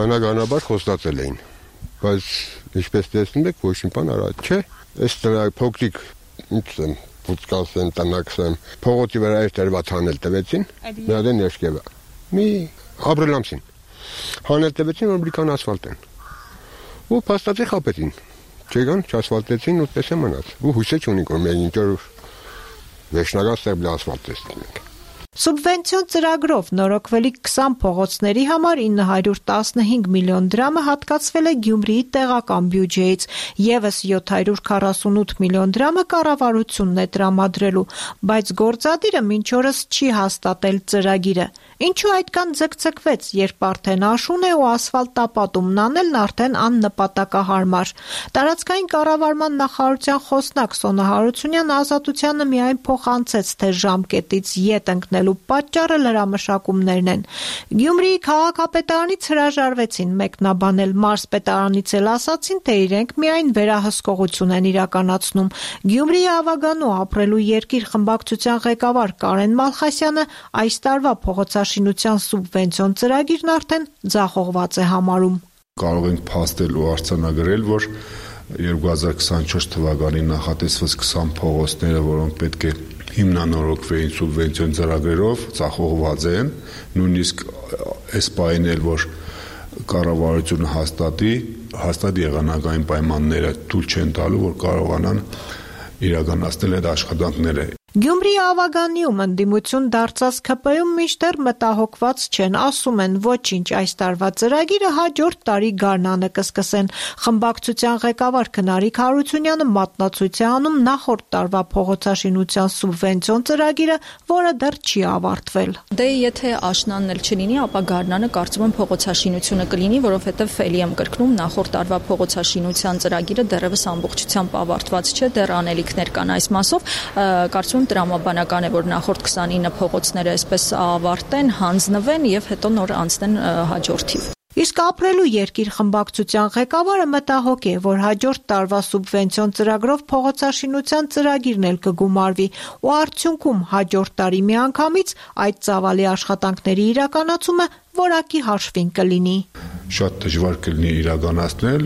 Բնականաբար խոստացել էին, բայց ինչպես տեսնում եք, ոչ մի բան արած չէ։ Այս փոքրիկ ինչ փոքրացեն տնաքսեն փողոցի վրա էր դրված հանել տվեցին, նա դեն ներքևը։ Մի ապրիլամսին հանել տվեցին, որ բրիկան ասֆալտ են։ Ու փաստացի խապեցին։ Չեկան, չասֆալտեցին ու պես է մնաց։ Ու հույս չունենք, որ մենք ինչ-որ վերջնական ստեբլ ասֆալտ տեսնենք։ Սուբվենցիոն ծրագրով նորոգվելիք 20 փողոցների համար 915 միլիոն դրամը հատկացվել է Գյումրիի տեղական բյուջեից, եւս 748 միլիոն դրամը կառավարությունն է տրամադրելու, բայց գործադիրը մինչ օրս չի հաստատել ծրագիրը։ Ինչու այդքան ձգձգվեց, երբ արդեն աշուն է ու ասֆալտապատումն անելն արդեն աննպատակահարմար։ Տարածքային կառավարման նախարարության խոսնակ Սոնա Հարությունյանը Ազատությանը միայն փոխանցեց, թե ժամկետից ետ ընկնելու պատճառը լրամշակումներն են։ Գյումրիի քաղաքապետարանից հրաժարվեցին մեկնաբանել, մարզպետարանից էլ ասացին, թե իրենք միայն վերահսկողություն են իրականացնում։ Գյումրիի Ավագանու ապրելու երկիր խմբակցության ղեկավար Կարեն Մալխասյանը այս տարվա փողոցաշինության սուբվենցիոն ծրագիրն արդեն ձախողված է համարում։ Կարող ենք փաստել ու արձանագրել, որ 2024 թվականի նախատեսված 20 փողոցները, որոնք պետք է հիմնանորոգվեին սուբվենցիոն ծրագրերով, ձախողված են, նույնիսկ այս պահին էլ, որ կառավարությունը հաստատ եղանակային պայմանները թույլ չեն տալու, որ կարողանան իրականացնել այդ աշխատանքները։ Գյումրիի Ավագանիում ընդդիմություն դարձած ՔՊ-ում մինչդեռ մտահոգված չեն, ասում են ոչինչ, այս տարվա ծրագիրը հաջորդ տարի գարնանը կսկսեն։ Խմբակցության ղեկավար Քնարիկ Հարությունյանը մատնացույց է անում նախորդ տարվա փողոցաշինության սուբվենցիոն ծրագիրը, որը դեռ չի ավարտվել։ Դե եթե աշնանն էլ չլինի, ապա գարնանը կարծում եմ փողոցաշինությունը կլինի, որովհետև էլի եմ կրկնում, նախորդ տարվա փողոցաշինության ծրագիրը դեռևս ամբողջությամբ ավարտված չէ, դեռ անելիքներ կան այս մասով, կարծում տրամաբանական է, որ նախորդ 29 փողոցները այսպես ավարտեն, հանձնվեն եւ հետո նոր անցնեն հաջորդի։ Իսկ ապրելու երկիր խմբակցության ղեկավարը մտահոգ է, որ հաջորդ տարվա սուբվենցիոն ծրագրով փողոցաշինության ծրագիրն էլ կգումարվի ու արդյունքում հաջորդ տարի միանգամից այդ ծավալի աշխատանքների իրականացումը որակի հաշվին կլինի։ Շատ դժվար կլինի իրականացնել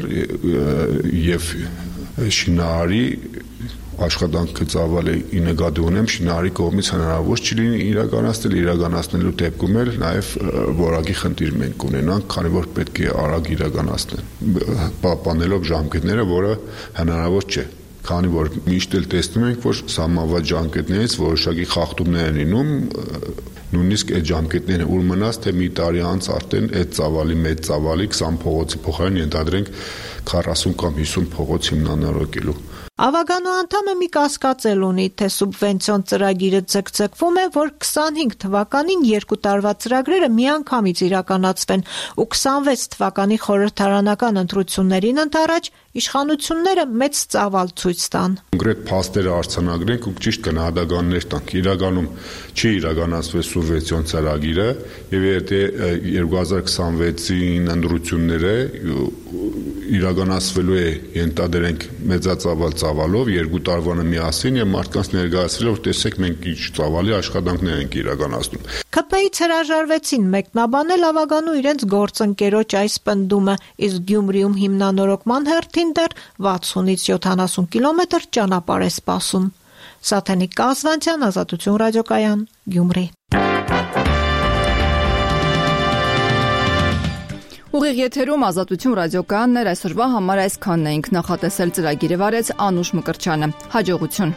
եւ շինարարի աշխատանքը ծավալը նկատի ունեմ, շինարարի կողմից հնարավոր չլինի իրականացնելու դեպքում էլ նաև որակի խնդիր մենք ունենանք, քանի որ պետք է արագ իրականացնել, պահպանելով ժամկետները, որը հնարավոր չէ, քանի որ միշտ էլ տեսնում ենք, որ սահմանված ժամկետներից որոշակի խախտումներ են լինում, նույնիսկ այդ ժամկետները ուր մնաց, թե մի տարի անց արդեն այդ ծավալի մեծ ծավալի 20 փողոցի փոխարեն ենթադրենք 40 կամ 50 փողոց հիմնանորոգելու Ավագանու անդամը մի կասկածել ունի, թե սուբվենցիոն ծրագիրը ձգձգվում է, որ 25 թվականին 2 տարվա ծրագրերը միանգամից իրականացվեն ու 26 թվականի խորհրդարանական ընտրություններին ընդառաջ իշխանությունները մեծ ծավալ ցույց տան։ Կոնկրետ փաստերը արձանագրենք ու ճիշտ գնահատականներ տանք։ Իրականում չի իրականացվել սուբվենցիոն ծրագիրը եւ եթե 2026-ին ընտրությունները իրականացվելու է ենթադրենք մեծածավալ ծավալով 2 տարվանը միասին եւ մարդկանց ներկայացրել որ տեսեք մենք ինչ ծավալի աշխատանքներ ենք իրականացնում։ ԿՊ-ից հրաժարվեցին մեկնաբանել ավագանու իրենց գործընկերոջ այս պնդումը, իսկ Գյումրիում հիմնանորոգման հերթին դեռ 60-ից 70 կիլոմետր ճանապարհ է սպասում։ Սաթենիկ Կազվանցյան, Ազատություն ռադիոկայան, Գյումրի։ Ուղիղ եթերում Ազատություն ռադիոկայանն այսօրվա համար այսքանն էինք, նախատեսել ծրագիրը վարեց Անուշ Մկրտչյանը։ Հաջողություն։